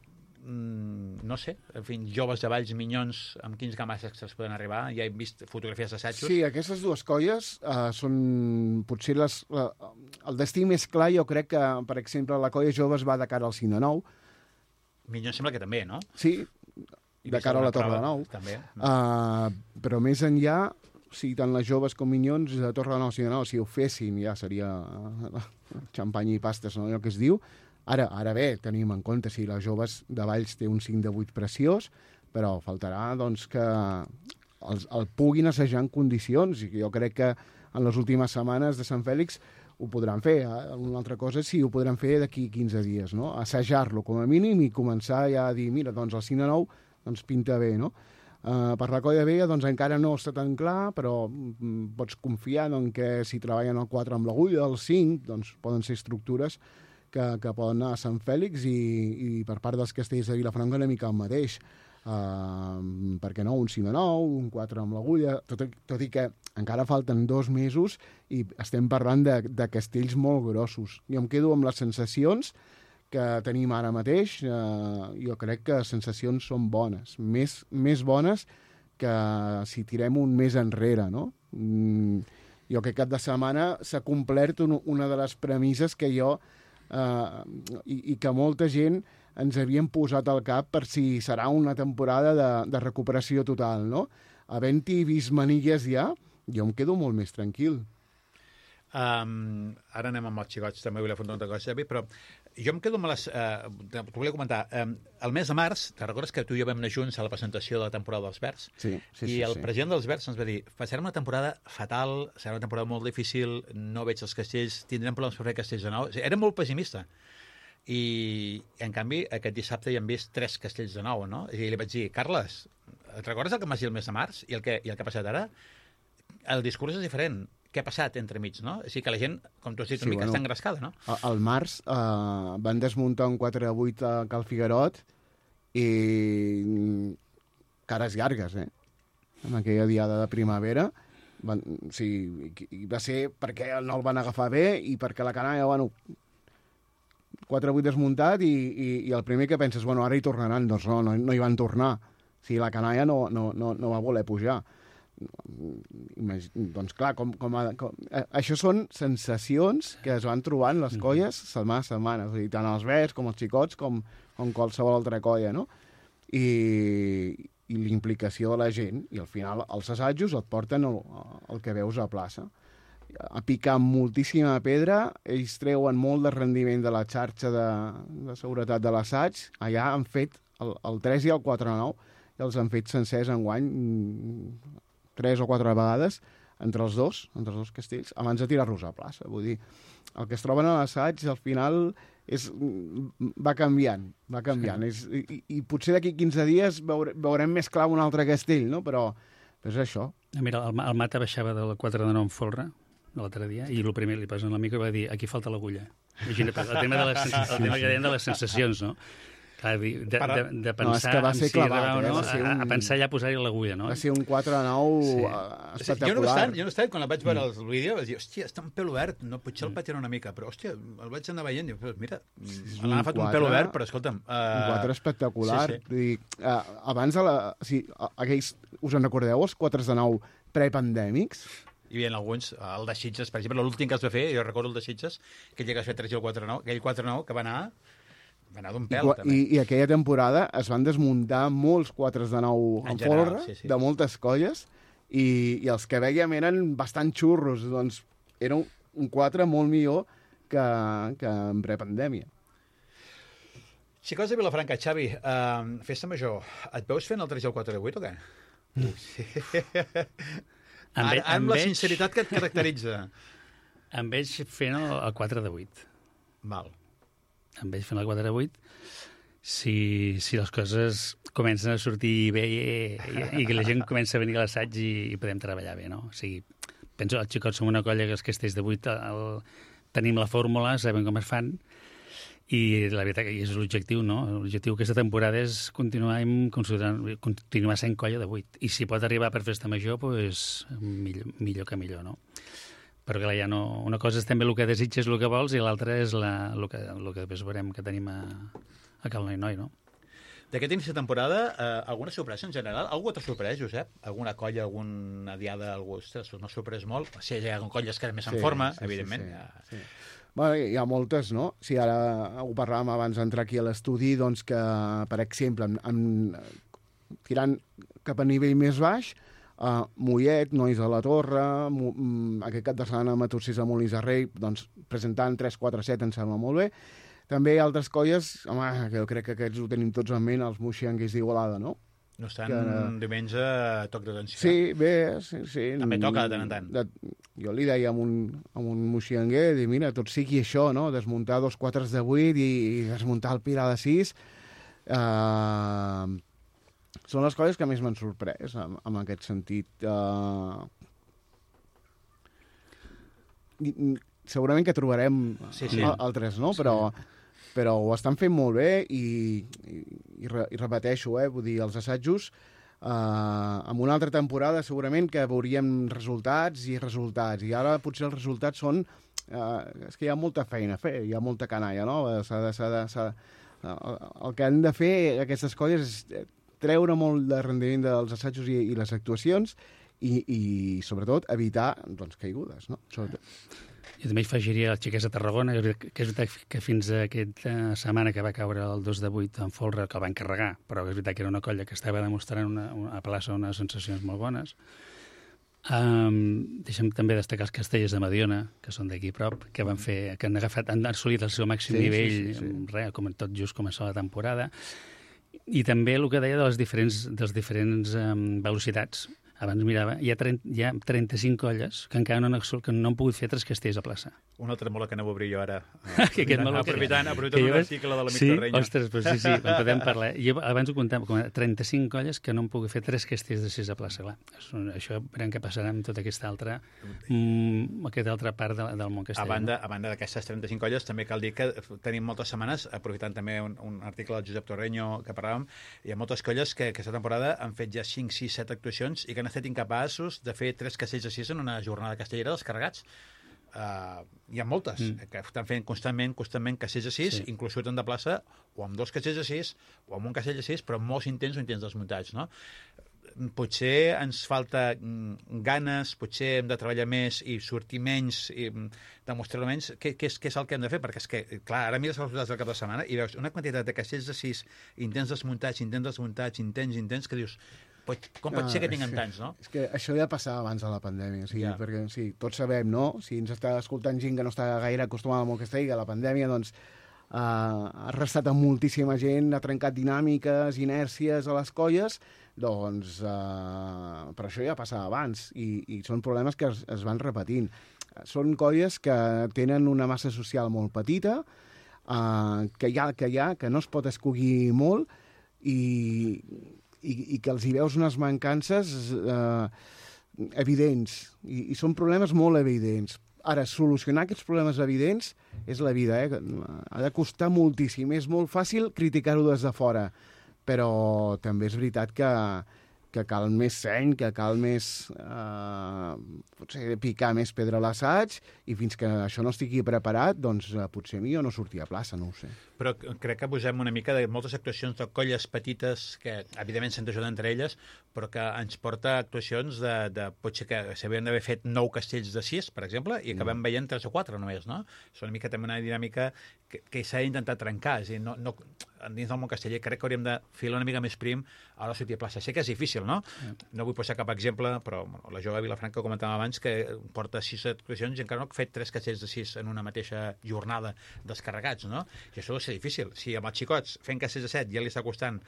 A: no sé, en fi, joves de Valls, Minyons, amb quins games extras poden arribar? Ja he vist fotografies d'assajos.
H: Sí, aquestes dues colles són potser el destí més clar. Jo crec que, per exemple, la colla joves va de cara al 5 de 9.
A: Minyons sembla que també, no?
H: Sí, de cara a la Torre de Nou.
A: També.
H: Però més enllà, si tant les joves com Minyons de Torre de Nou, 5 de 9, si ho fessin ja seria xampany i pastes, no? Allò que es diu. Ara bé, tenim en compte si les joves de Valls té un 5 de 8 preciós, però faltarà doncs, que el puguin assajar en condicions, i jo crec que en les últimes setmanes de Sant Fèlix ho podran fer. Una altra cosa és si ho podran fer d'aquí 15 dies, no? Assajar-lo com a mínim i començar ja a dir, mira, doncs el 5 de 9 doncs pinta bé, no? Per la colla vella doncs, encara no està tan clar, però pots confiar doncs, que si treballen el 4 amb l'agulla, el 5, doncs poden ser estructures que poden anar a Sant Fèlix i per part dels castells de Vilafranca una mica el mateix. Per què no? Un 5 de 9, un 4 amb l'agulla, tot i que encara falten 2 mesos i estem parlant de castells molt grossos. Jo em quedo amb les sensacions que tenim ara mateix. Jo crec que les sensacions són bones, més bones que si tirem un mes enrere, no? Jo aquest cap de setmana s'ha complert una de les premisses que jo i que molta gent ens havien posat al cap per si serà una temporada de recuperació total, no? Havent-hi vist manilles ja, jo em quedo molt més tranquil.
A: Ara anem amb els xicots, també vull afrontar una cosa, però jo em quedo amb les... T'ho volia comentar. El mes de març, te recordes que tu i jo vam anar junts a la presentació de la temporada dels Verds?
H: Sí.
A: I el president dels Verds ens va dir, serà una temporada fatal, serà una temporada molt difícil, no veig els castells, tindrem problemes per fer castells de nou. O sigui, era molt pessimista. I, en canvi, aquest dissabte hi hem vist 3 castells de nou, no? I li vaig dir, Carles, et recordes el que em vas dir el mes de març i el que ha passat ara? El discurs és diferent. Què ha passat entre mig, no? O sigui que la gent, com tu has dit, una mica està engrescada, no?
H: Al març van desmuntar un 4-8 a Cal Figuerot i cares llargues, en aquella diada de primavera. Va ser perquè no el van agafar bé i perquè la canalla, 4-8 desmuntat i el primer que penses, ara hi tornaran. Doncs no hi van tornar. O sigui, la canalla no va voler pujar. Doncs clar, això són sensacions que es van trobant les colles setmana a setmana, és a dir, tant els Verds com els xicots com qualsevol altra colla, no? I l'implicació de la gent, i al final els assajos et porten el que veus a plaça. A picar moltíssima pedra, ells treuen molt de rendiment de la xarxa de seguretat de l'assaig, allà han fet el 3 i el 4-9 i els han fet sencers enguany 3 o 4 vegades entre els dos castells, abans de tirar-los a plaça. Vull dir, el que es troben a l'assaig, al final, va canviant. I potser d'aquí 15 dies veurem més clar un altre castell, no? Però és això.
I: Mira, el Mata baixava del 4 de 9 en folre l'altre dia, i el primer li posen l'amic i va dir, aquí falta l'agulla. Imagina't, el tema que deien de les sensacions, no? Clar, de pensar
H: va ser clavat,
I: a pensar ja posar-hi l'agulla, no?
H: Va ser un 4-9 espectacular.
A: Jo no estava, quan el vaig veure el vídeo, vaig dir, hòstia, està un pèl obert, no, potser el patinar una mica, però, hòstia, el vaig anar veient, i mira, l'han agafat un pèl obert, però, escolta'm...
H: Un 4 espectacular. Sí. Abans, aquells, us en recordeu, els 4 de 9 prepandèmics?
A: Hi havia alguns, el de Sitges, per exemple, l'últim que es va fer, jo recordo el de Sitges, que ell llegas a fer 3 i el 4-9, aquell 4-9 que va anar d'un pèl, també.
H: I aquella temporada es van desmuntar molts 4 de 9 en folre, de moltes colles, i els que veiem eren bastant xurros, doncs era un 4 molt millor que en prepandèmia.
A: Xicots de Vilafranca, Xavi, festa major, et veus fent el 3 i el 4 de 8 o què? Amb la sinceritat que et caracteritza.
I: Em veig fent el 4 de 8.
A: Val.
I: Em veig fent el 4 de 8 si les coses comencen a sortir bé i que la gent comença a venir a l'assaig i podem treballar bé, no? O sigui, penso, els xicots som una colla que els castells de 8 tenim la fórmula, sabem com es fan, i la veritat que és l'objectiu, no? L'objectiu aquesta temporada és continuar sent colla de 8. I si pot arribar per festa major, doncs millor que millor, no? Però clar, ja no... Una cosa és també el que desitges, el que vols, i l'altra és el que després veurem que tenim a Cal Noi, no?
A: D'aquest inici de temporada, alguna sorpresa en general? Algú t'ha sorprès, Josep? Alguna colla, alguna diada, algú? Ostres, m'ha sorprès molt. Si hi ha colles que més en forma, evidentment.
H: Sí. Bueno, hi ha moltes, no? Si ara ho parlàvem abans d'entrar aquí a l'estudi, doncs que, per exemple, tirant cap a nivell més baix, Mollet, Nois de la Torre, aquest cap de setmana Matossers a Molins de Rei, doncs presentant 3-4-7 em sembla molt bé. També hi ha altres colles, home, que jo crec que aquests ho tenim tots en ment, els Moixianguers d'Igualada, no?
A: No estan diumenge a toc d'atenció.
H: Sí, bé, sí.
A: També toca de tant en tant.
H: Jo li deia a un moixianguer, mira, tot sigui això, no? Desmuntar 2 4 de 8 i desmuntar el Pilar de 6. són les colles que més m'han sorprès, en aquest sentit. Segurament que trobarem altres, no? Però ho estan fent molt bé i repeteixo, vull dir, els assajos, en una altra temporada segurament que veuríem resultats, i ara potser els resultats són és que hi ha molta feina a fer, hi ha molta canalla, no? El que han de fer aquestes colles és treure molt de rendiment dels assajos i les actuacions i sobretot evitar caigudes, no? Sobretot.
I: Jo també hi afegiria els xiquets de Tarragona, que és veritat que fins a aquesta setmana que va caure el 2 de 8 en folre, que el van carregar, però és veritat que era una colla que estava demostrant a plaça unes sensacions molt bones. Deixem també destacar els castellers de Mediona, que són d'aquí prop, que han assolit el seu màxim nivell, com tot just començar la temporada. I també el que deia de les diferents velocitats. Abans mirava, hi ha 35 colles que encara no han pogut fer 3 castells a plaça.
A: Un altre molt que no obrir jo ara.
I: Aprofitant
A: un article de la Misterrenya.
I: Ostres, però sí, en podem parlar. Jo abans ho comptava, com 35 colles que no han pogut fer 3 castells de 6 a plaça. Clar, això veurem què passarà amb tota aquesta altra part del món castellà.
A: A banda d'aquestes 35 colles, també cal dir que tenim moltes setmanes, aprofitant també un article del Josep Torreño que parlàvem, hi ha moltes colles que aquesta temporada han fet ja 5, 6, 7 actuacions i que han estat incapaços de fer 3 castells de 6 en una jornada castellera descarregats. Hi ha moltes que estan fent constantment castells de 6, inclús surten de plaça o amb 2 castells de 6 o amb un castell de 6, però molt intents o intents desmuntats, no? Potser ens falta ganes, potser hem de treballar més i sortir menys i demostrar menys què és el que hem de fer, perquè és que, clar, ara mires els resultats del cap de setmana i veus una quantitat de castells de 6, intents desmuntats, intents, que dius, com pot ser que tinguem tants, no?
H: És que això ja passava abans de la pandèmia, perquè tots sabem, no? Si ens està escoltant gent que no està gaire acostumada al món castell, que la pandèmia, doncs, ha restat a moltíssima gent, ha trencat dinàmiques, inèrcies a les colles, doncs, per això ja passava abans, i són problemes que es van repetint. Són colles que tenen una massa social molt petita, que no es pot escollir molt, i que els hi veus unes mancances evidents, i són problemes molt evidents. Ara, solucionar aquests problemes evidents és la vida, ha de costar moltíssim. És molt fàcil criticar-ho des de fora, però també és veritat que cal més seny, que cal més potser picar més pedra a l'assaig, i fins que això no estigui preparat, doncs potser millor no sortir a plaça, no ho sé.
A: Però crec que posem una mica de moltes actuacions de colles petites que, evidentment, s'han d'ajudar entre elles, però que ens porta a actuacions de potser que s'havien d'haver fet 9 castells de 6, per exemple, i acabem veient 3 o 4 només, no? És una mica també una dinàmica que s'ha d'intentar trencar. És a dir, dins del món casteller crec que hauríem de filar una mica més prim a la sortida a plaça. Sé que és difícil, no? No vull posar cap exemple, però la jove Vilafranca, comentàvem abans, que porta 6 actuacions i encara no ha fet 3 castells de 6 en una mateixa jornada descarregats, no? I això deu ser difícil. Si amb els xicots fent castells de 7 ja li està costant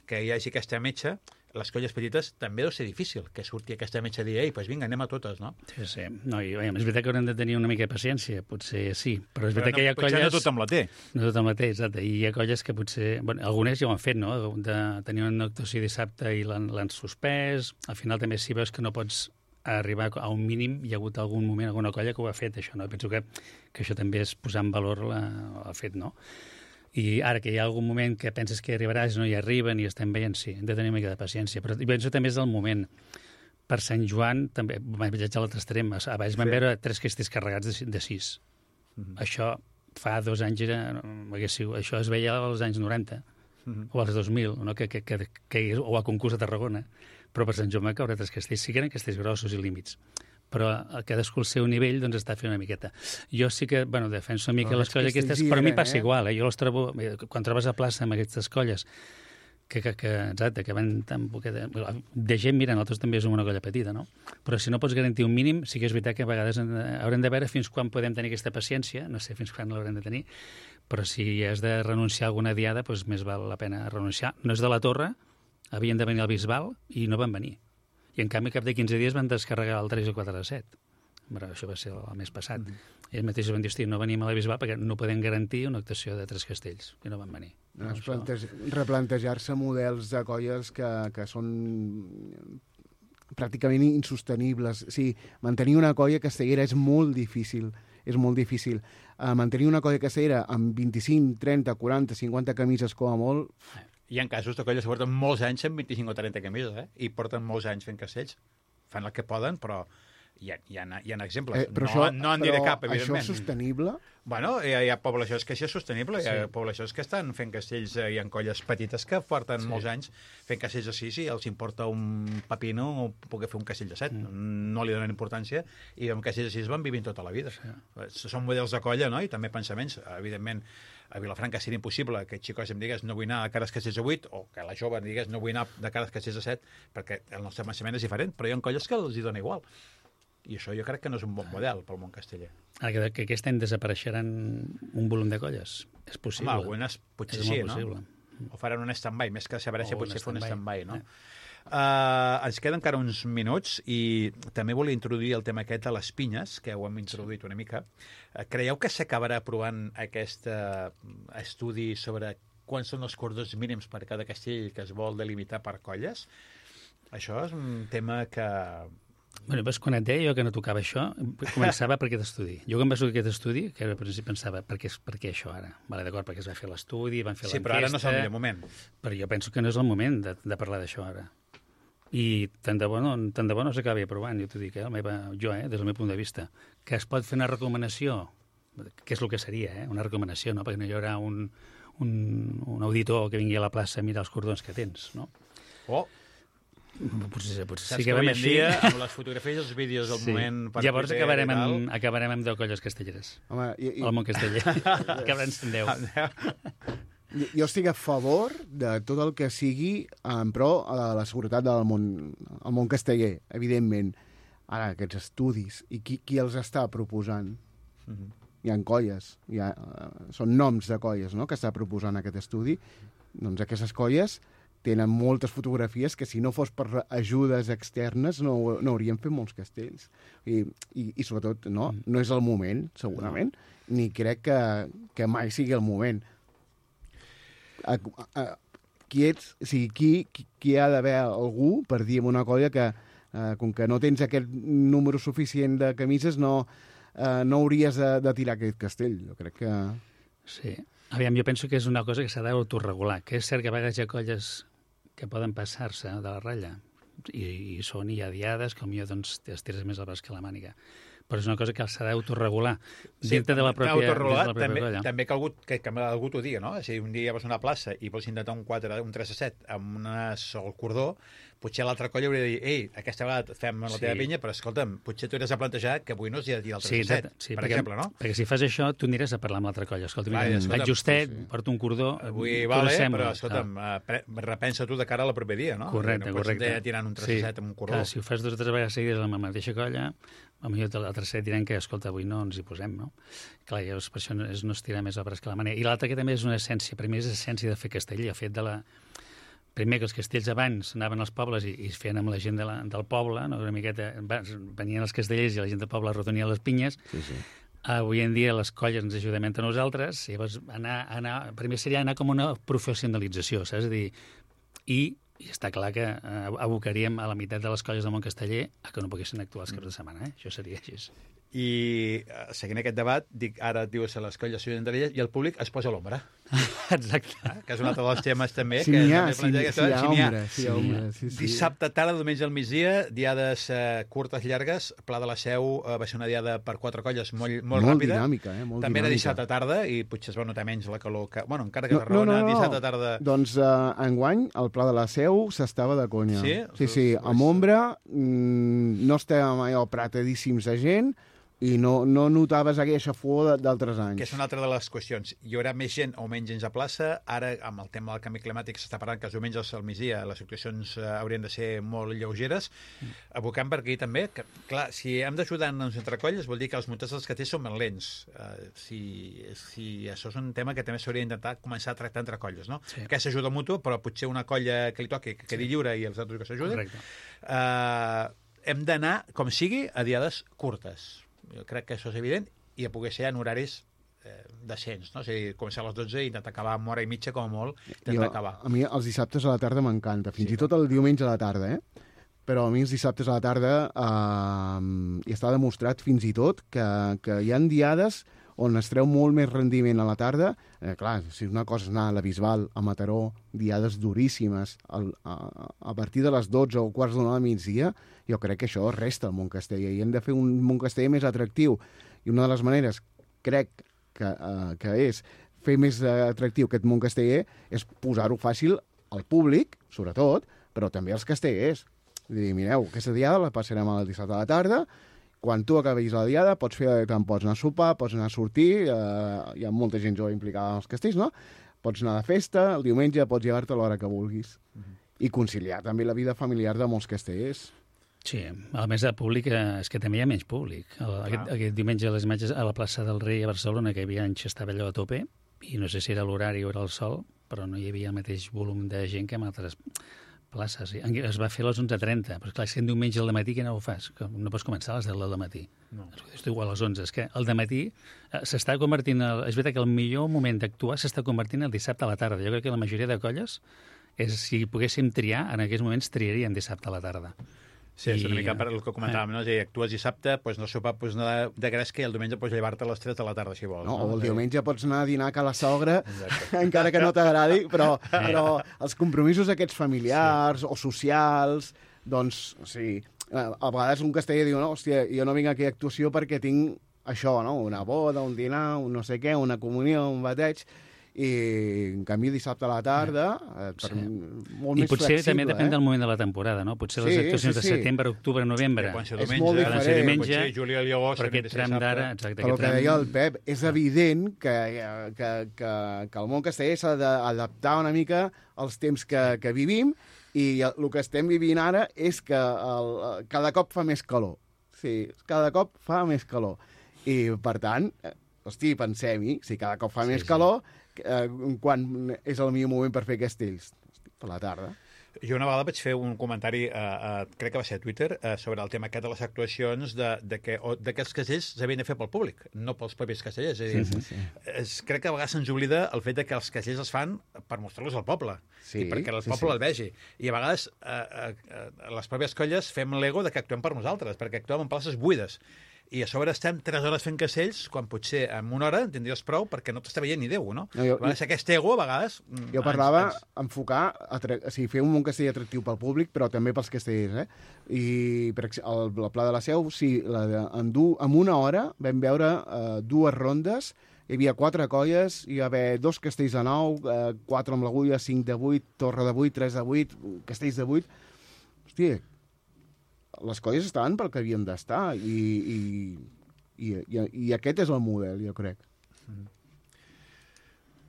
A: que hi hagi aquesta metxa, les colles petites també deu ser difícil que surti aquesta metxa a dir, doncs vinga, anem a totes, no?
I: Sí. No, és veritat que haurem de tenir una mica de paciència, potser sí, però és veritat que hi ha colles...
A: Potser no tothom la té.
I: No tothom la té, exacte. I hi ha colles que potser... Bueno, algunes ja ho han fet, no?, de tenir una actuació dissabte i l'han suspès. Al final també si veus que no pots arribar a un mínim, hi ha hagut algun moment, alguna colla que ho ha fet, això, no? Penso que això també és posar en valor el fet, no? I ara que hi ha algun moment que penses que arribaràs, no hi arriben i estem veient, sí, hem de tenir una mica de paciència. Però penso també és el moment. Per Sant Joan, també vaig viatjar a l'altre extrem. Abans vam veure 3 castells carregats de 6. Això fa 2 anys això es veia als anys 90 o als 2000, no? O a concurs de Tarragona. Però per Sant Joan va caure 3 castells. Sí que eren castells grossos i límits, però cadascú al seu nivell doncs està fent una miqueta. Jo sí que, defenso una mica les colles aquestes, però a mi passa igual, Jo les trobo, quan trobes a plaça amb aquestes colles, exacte, que van tan poqueta... De gent, mira, nosaltres també som una colla petita, no? Però si no pots garantir un mínim, sí que és veritat que a vegades haurem de veure fins quan podem tenir aquesta paciència, no sé fins quan l'haurem de tenir, però si has de renunciar a alguna diada, doncs més val la pena renunciar. No és de la Torre, havien de venir al Bisbal i no van venir. I en canvi cap de 15 dies van descarregar el 3 o 4 de 7. Però això va ser el mes passat. I ells mateixos van dir, hosti, no venim a la Bisbal perquè no podem garantir una actuació de 3 castells. I no van venir.
H: Replantejar-se models de colles que són pràcticament insostenibles. Sí, mantenir una colla castellera és molt difícil. Mantenir una colla castellera amb 25, 30, 40, 50 camises com a molt...
A: Hi ha casos de colles que porten molts anys amb 25 o 30 camises, I porten molts anys fent castells. Fan el que poden, però hi ha exemples. No en diré cap, evidentment.
H: Això és sostenible?
A: Bueno, hi ha poblacions que sí és sostenible, hi ha poblacions que estan fent castells, hi ha colles petites que porten molts anys fent castells de 6 i els importa un pepino o poder fer un castell de 7. No li donen importància i amb castells de 6 van vivint tota la vida. Són models de colla, no? I també pensaments. Evidentment, a Vilafranca seria impossible que xicos em digués no vull anar de cara als castells de 8 o que la jove em digués no vull anar de cara als castells de 7 perquè el nostre pensament és diferent, però hi ha colles que els hi dona igual. I això jo crec que no és un bon model pel món casteller.
I: Que aquest any desapareixeran un volum de colles. És possible.
A: Home, algunes potser sí, no? O faran un stand-by, més que desaparèixer potser fer un stand-by, no? Ens queden encara uns minuts i també volia introduir el tema aquest de les pinyes, que ho hem introduït una mica. Creieu que s'acabarà aprovant aquest estudi sobre quants són els cordons mínims per cada castell que es vol delimitar per colles? Això és un tema que...
I: Bueno, quan et deia jo que no tocava això, començava per aquest estudi. Jo quan vaig fer aquest estudi, que al principi pensava, per què això ara? Vale, d'acord, perquè es va fer l'estudi, van fer l'enquesta...
A: Sí, però ara no és el millor moment.
I: Però jo penso que no és el moment de parlar d'això ara. I tant de bo no s'acabi aprovant, jo t'ho dic, des del meu punt de vista. Que es pot fer una recomanació, que és el que seria, una recomanació, no? Perquè no hi haurà un auditor que vingui a la plaça a mirar els cordons que tens, no? Potser
A: sí que avui en dia, amb les fotografies i els vídeos del moment...
I: Llavors acabarem amb 10 colles castelleres. El món casteller. Acabarem en 10.
H: Jo estic a favor de tot el que sigui en pro a la seguretat del món casteller, evidentment. Ara, aquests estudis, i qui els està proposant? Hi ha colles, són noms de colles, no?, que està proposant aquest estudi. Doncs aquestes colles tenen moltes fotografies que si no fos per ajudes externes no haurien fet molts castells. I sobretot, no és el moment, segurament, ni crec que mai sigui el moment. Qui ha d'haver algú per dir en una colla que, com que no tens aquest número suficient de camises, no hauries de tirar aquest castell. Jo crec que...
I: Sí. Aviam, jo penso que és una cosa que s'ha d'autoregular, que és cert que a vegades hi ha colles que poden passar-se de la ratlla i són ja diades, com jo, doncs, es tires més al braç que la màniga. Però és una cosa que s'ha d'autoregular dintre de la pròpia colla.
A: També que algú t'ho digui, no? Si un dia vas a una plaça i vols intentar un 3-7 amb una sol cordó, potser l'altra colla hauria de dir ei, aquesta vegada fem la teva pinya, però escolta'm, potser tu hauràs de plantejar que avui no es dia el 3-7, per exemple, no?
I: Perquè si fas això, tu aniràs a parlar amb l'altra colla. Escolta, vaig justet, porto un cordó...
A: Avui vale, però escolta'm, repensa tu de cara a la proper dia, no?
I: Correcte.
A: No pots anar tirant un 3-7 amb un cordó.
I: Si ho fas 2 o 3 vegades seguides amb la mateixa colla, potser l'altre set diran que, escolta, avui no ens hi posem, no? Clar, llavors per això no es tira més al braç que la màniga. I l'altre que també és una essència, per mi és essència de fer castell, el fet de la... Primer que els castells abans anaven als pobles i es feien amb la gent del poble, no? Una miqueta, venien els castellers i la gent del poble retonia les pinyes.
H: Sí.
I: Avui en dia les colles ens ajudem entre nosaltres, i llavors primer seria anar com una professionalització, saps? És a dir, i està clar que abocaríem a la meitat de les colles del món casteller a que no poguessin actuar els caps de setmana, Això seria així.
A: I seguint aquest debat, ara et dius a les colles s'ajuden entre elles i el públic es posa a l'ombra.
I: Exacte.
A: Que és un altre dels temes també.
H: Si n'hi ha.
A: Dissabte tarda, diumenge al migdia, diades curtes, llargues. Pla de la Seu va ser una diada per 4 colles molt ràpida.
H: Dinàmica,
A: també era dissabte tarda i potser es va notar menys la calor. Bueno, encara que Tarragona, dissabte tarda...
H: Doncs enguany, al Pla de la Seu s'estava de conya.
A: Sí,
H: amb ombra, no estàvem allò apretadíssims de gent, i no notaves aquella fuor d'altres anys.
A: Que és una altra de les qüestions. Hi haurà més gent o menys gent a plaça. Ara, amb el tema del canvi climàtic, s'està parlant que els diumenges al migdia les actuacions haurien de ser molt lleugeres. Abocant per aquí també, que, clar, si hem d'ajudar-nos entre colles, vol dir que els muntats dels castells són ben lents. Si això és un tema que també s'hauria d'intentar començar a tractar entre colles, no?
I: Sí.
A: Que s'ajuda mutu, però potser una colla que li toqui que quedi lliure i els altres que s'ajuden. hem d'anar, com sigui, a diades curtes. Jo crec que això és evident, i a poder ser en horaris decents, no? És a dir, començar a les 12 i intentar acabar amb hora i mitja, com a molt, intentar acabar.
H: A mi els dissabtes a la tarda m'encanta, fins i tot el diumenge a la tarda, Però a mi els dissabtes a la tarda i està demostrat fins i tot que hi ha diades on es treu molt més rendiment a la tarda. Clar, si una cosa és anar a la Bisbal, a Mataró, diades duríssimes, a partir de les 12 o quarts d'una del migdia, jo crec que això resta al Montcasteller i hem de fer un Montcasteller més atractiu. I una de les maneres, crec que és fer més atractiu aquest Montcasteller és posar-ho fàcil al públic, sobretot, però també als castellers. Dir, mireu, aquesta diada la passarem el dissabte a la tarda, quan tu acabis la diada pots anar a sopar, pots anar a sortir, hi ha molta gent jove implicada en els castells, no? Pots anar de festa, el diumenge pots llevar-te a l'hora que vulguis. I conciliar també la vida familiar de molts castellers.
I: Sí, a més de públic, és que també hi ha menys públic. Aquest diumenge a les imatges a la plaça del Rei a Barcelona, que hi havia anys estava allò a tope, i no sé si era l'horari o era el sol, però no hi havia el mateix volum de gent que en altres places. Es va fer a les 11:30, però clar, si en diumenge al matí que no ho fas? Que no pots començar a les 10 del matí. No. És igual a les 11. És que el dematí s'està convertint... És veritat que el millor moment d'actuar s'està convertint el dissabte a la tarda. Jo crec que la majoria de colles, si poguéssim triar, en aquells moments triaríem dissabte a la tarda.
A: Sí, és una mica per el que comentàvem, no? És a dir, actues dissabte, pots anar a sopar, pots anar de gresca i el diumenge pots llevar-te a les 3 de la tarda, si vols.
H: No? O el diumenge pots anar a dinar a la sogra, encara que no t'agradi, però els compromisos aquests familiars o socials, doncs, sí, a vegades un casteller diu, no, hòstia, jo no vinc a aquella actuació perquè tinc això, no? Una boda, un dinar, un no sé què, una comunió, un bateig, i en canvi dissabte a la tarda molt més flexible. I
I: potser també depèn del moment de la temporada, no? Potser les actuacions de setembre, octubre, novembre
H: és molt diferent,
A: potser juliol i agost,
I: però aquest tram d'ara,
H: però el que deia el Pep, és evident que el món casteller s'ha d'adaptar una mica als temps que vivim, i el que estem vivint ara és que cada cop fa més calor. Sí, cada cop fa més calor. I, per tant, hosti, pensem-hi, si cada cop fa més calor, quan és el millor moment per fer castells? Per la tarda.
A: Jo una vegada vaig fer un comentari, crec que va ser a Twitter, sobre el tema aquest de les actuacions de que els castells s'havien de fer pel públic, no pels propis castellers. És a dir, crec que a vegades se'ns oblida el fet que els castells es fan per mostrar-los al poble, i perquè el poble el vegi. I a vegades les pròpies colles fem l'ego de que actuem per nosaltres, perquè actuem en places buides. I a sobre estem 3 hores fent castells, quan potser en una hora en tindries prou perquè no t'està veient ni Déu, no? A vegades aquest ego, a vegades...
H: Jo parlava enfocar, fer un món castell atractiu pel públic, però també pels castellers, I per exemple, el Pla de la Seu, sí, en una hora vam veure 2 rondes, hi havia 4 colles, hi va haver 2 castells de 9, 4 amb l'agulla, 5 de 8, torre de 8, 3 de 8, castells de 8... Hòstia, les colles estaven pel que havien d'estar i aquest és el model, jo crec.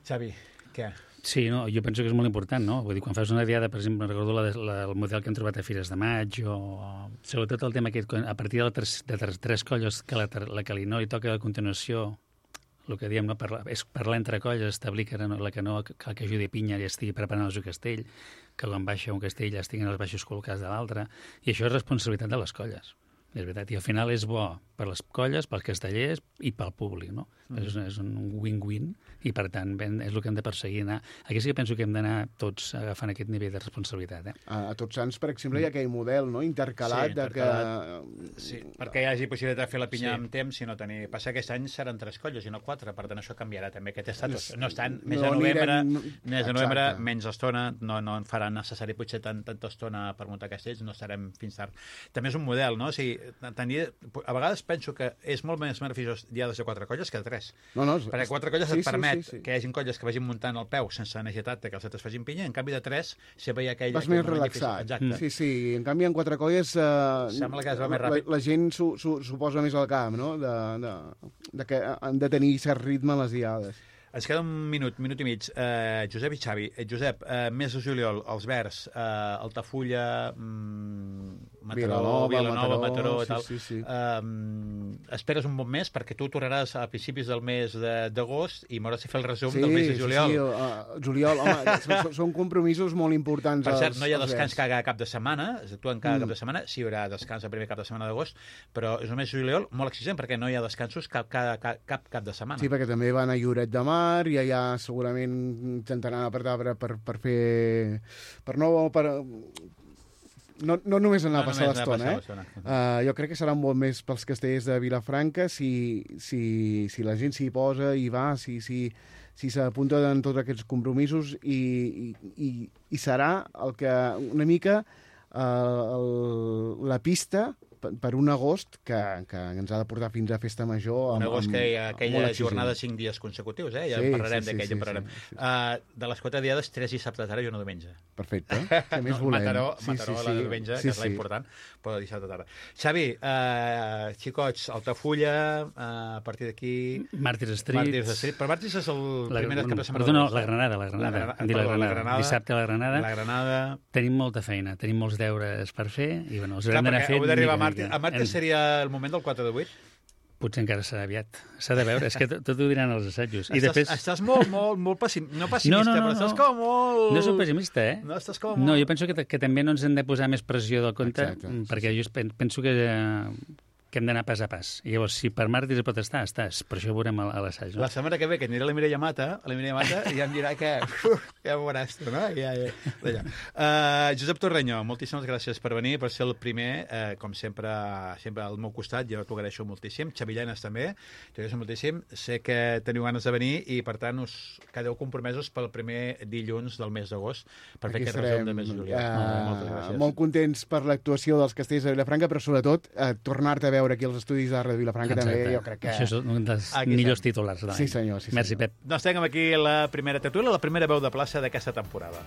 A: Xavi, què?
I: Sí, no, jo penso que és molt important, no? Vull dir, quan fas una diada, per exemple, recordo el model que hem trobat a Fires de Maig, o sobretot el tema aquest, a partir de 3 colles que la que li no li toca a continuació, el que diem, no, és parlar entre colles, establir que que ajudi Pinya i estigui preparant el seu castell, que quan baixa un castell ja estiguin els baixos col·locats de l'altre, i això és responsabilitat de les colles. És veritat, i al final és bo per les colles, pels castellers i pel públic, no? És un win-win, i per tant és el que hem de perseguir. Aquí sí que penso que hem d'anar tots agafant aquest nivell de responsabilitat.
H: A Tots Sants, per exemple, hi ha aquell model, no?, intercalat.
A: Sí, perquè hi hagi possibilitat de fer la pinya amb temps, si no tenir... Passa que aquest any seran 3 colles i no 4, per tant això canviarà també aquest estatus. No estan més de novembre, menys estona, no farà necessari potser tanta estona per muntar castells, no estarem fins tard. També és un model, no? O sigui, a vegades penso que és molt més beneficiós diades de 4 colles que de 3. Perquè 4 colles et permet que hi hagi colles que vagin muntant el peu sense necessitat que els altres facin pinya, en canvi de 3 sempre hi ha aquell...
H: Vas més relaxat. Sí, en canvi en 4 colles
A: sembla que es va més ràpid.
H: La gent s'ho posa més al camp, no?, de que han de tenir cert ritme a les diades.
A: Ens queda un minut i mig. Josep i Xavi. Josep, mes de juliol, els Verds, Altafulla, Vilanova, Mataró i tal.
H: Sí.
A: Esperes un bon mes perquè tu tornaràs a principis del mes d'agost i m'hauràs de fer el resum del mes de juliol.
H: Sí, juliol, home, són compromisos molt importants.
A: Per cert, no hi ha descans cada cap de setmana, tu en cada cap de setmana, sí hi haurà descans el primer cap de setmana d'agost, però és un mes de juliol molt exigent perquè no hi ha descansos cap cap de setmana.
H: Sí, perquè també van a Lloret de Mar i allà segurament intentaran apretar per fer... No només anar a passar l'estona, jo crec que serà un bon mes pels castellers de Vilafranca si la gent s'hi posa i va, si s'apunta en tots aquests compromisos i serà el que una mica la pista per un agost que ens ha de portar fins a Festa Major.
A: Un agost que hi ha aquella jornada de 5 dies consecutius, ja en parlarem d'aquell, ja en parlarem. De les 4 diades, 3 dissabtes ara i una diumenge.
H: Perfecte, què més volem?
A: Mataró la diumenge, que és la important, però dissabte tarda. Xavi, xicots, Altafulla, a partir d'aquí...
H: Màrtirs Street.
A: Però Màrtirs és el primer cap de setmana.
I: Perdona, la Granada. Dissabte a la Granada.
A: La Granada.
I: Tenim molta feina, tenim molts deures per fer i els haurem d'anar fent...
A: A Màrtirs seria el moment del 4 de 8?
I: Potser encara serà aviat. S'ha de veure, és que tot ho diran els assajos.
A: Estàs molt pessimista, no pessimista, però estàs com molt...
I: No soc pessimista,
A: No, estàs com molt...
I: No, jo penso que també no ens hem de posar més pressió del compte, perquè jo penso que hem d'anar pas a pas. I llavors, si per Màrtirs pot estar, estàs. Per això ho veurem a l'assaig.
A: La setmana que ve, que aniré a la Mireia Mata, i em dirà que... ja ho veuràs tu, no? Josep Torreño, moltíssimes gràcies per venir, per ser el primer, com sempre al meu costat, jo t'ho agraeixo moltíssim. Xavi Llenas també, t'ho agraeixo moltíssim. Sé que teniu ganes de venir i, per tant, us quedeu compromesos pel primer dilluns del mes d'agost per fer aquest resum de mes de juliol. Moltes gràcies.
H: Molt contents per l'actuació dels castells de Vilafranca, però sobretot tornar-te a veure aquí als estudis de Ràdio Vilafranca. També, jo crec que...
I: Això és un dels millors titulars de l'any.
H: Sí, senyor.
I: Merci, Pep.
A: Doncs tenim aquí la primera tertúlia, la primera veu de plaça d'aquesta temporada.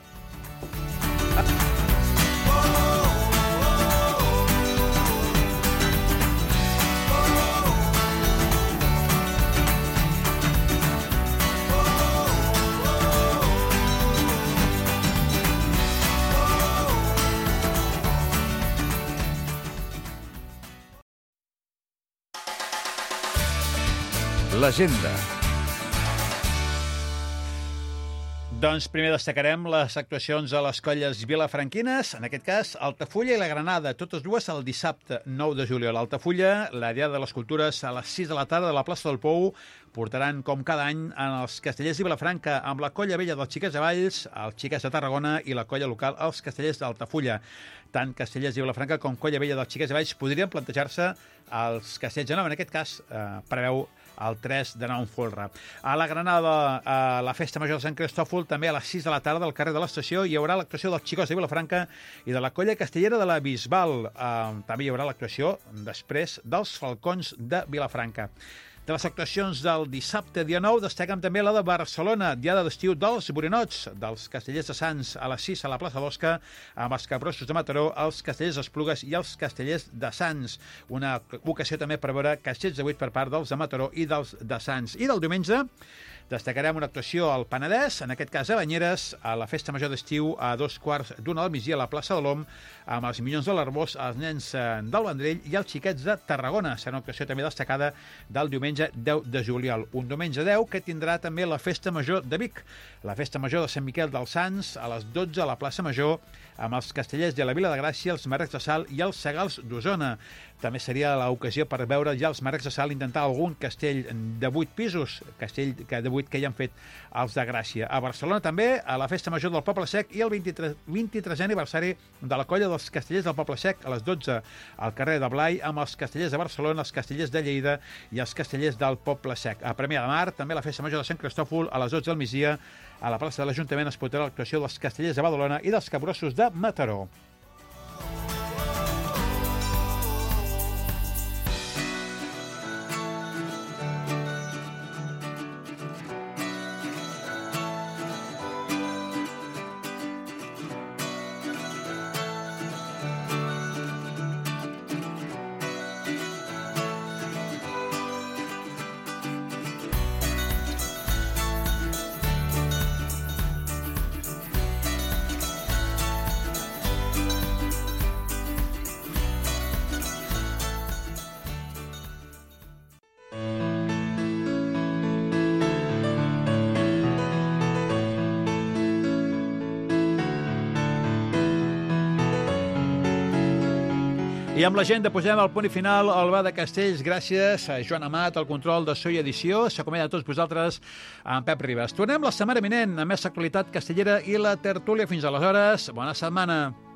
B: L'agenda.
A: Doncs primer destacarem les actuacions a les colles vilafranquines, en aquest cas Altafulla i la Granada, totes dues el dissabte 9 de juliol. Altafulla, la Diada de les Cultures, a les 6 de la tarda a la plaça del Pou, portaran, com cada any, en els castellers de Vilafranca, amb la colla vella dels Xiquets de Valls, els Xiquets de Tarragona i la colla local, els castellers d'Altafulla. Tant castellers de Vilafranca com colla vella dels Xiquets de Valls podrien plantejar-se als castells de Nou. En aquest cas, preveu el 3 de nou en folre. A la Granada, a la Festa Major de Sant Cristòfol, també a les 6 de la tarda al carrer de l'Estació, hi haurà l'actuació dels Xicots de Vilafranca i de la colla castellera de la Bisbal. També hi haurà l'actuació després dels Falcons de Vilafranca. De les actuacions del dissabte, dia 9, destaquen també la de Barcelona, diada d'estiu dels Borinots, dels castellers de Sants a les 6 a la plaça d'Osca, amb els Capgrossos de Mataró, els castellers d'Esplugues i els castellers de Sants. Una ocasió també per veure castells de 8 per part dels de Mataró i dels de Sants. I del diumenge destacarem una actuació al Penedès, en aquest cas a Banyeres, a la Festa Major d'Estiu a 2:15 del migdia a la plaça de l'Om, amb els Minyons de l'Arbós, els nens del Vendrell i els Xiquets de Tarragona. Serà una actuació també destacada del diumenge 10 de juliol. Un diumenge 10 que tindrà també la Festa Major de Vic, la Festa Major de Sant Miquel dels Sants, a les 12 a la plaça Major, amb els castellers de la Vila de Gràcia, els Marrecs de Sal i els Segals d'Osona. També seria l'ocasió per veure ja els Marrecs de Sal intentar algun castell de 8 pisos, castell de 8 que ja han fet els de Gràcia. A Barcelona també, a la Festa Major del Poble Sec i el 23è aniversari de la colla dels castellers del Poble Sec a les 12 al carrer de Blai, amb els castellers de Barcelona, els castellers de Lleida i els castellers del Poble Sec. A Premià de Mar, també la Festa Major de Sant Cristòfol a les 12 del migdia, a la plaça de l'Ajuntament es portarà l'actuació dels castellers de Badalona i dels Capgrossos de Mataró. I amb l'agenda posem el punt i final al Bar de Castells. Gràcies a Joan Amat, el control de so i edició. S'acomiada a tots vosaltres amb Pep Ribas. Tornem la setmana vinent amb més actualitat castellera i la tertúlia. Fins aleshores, bona setmana.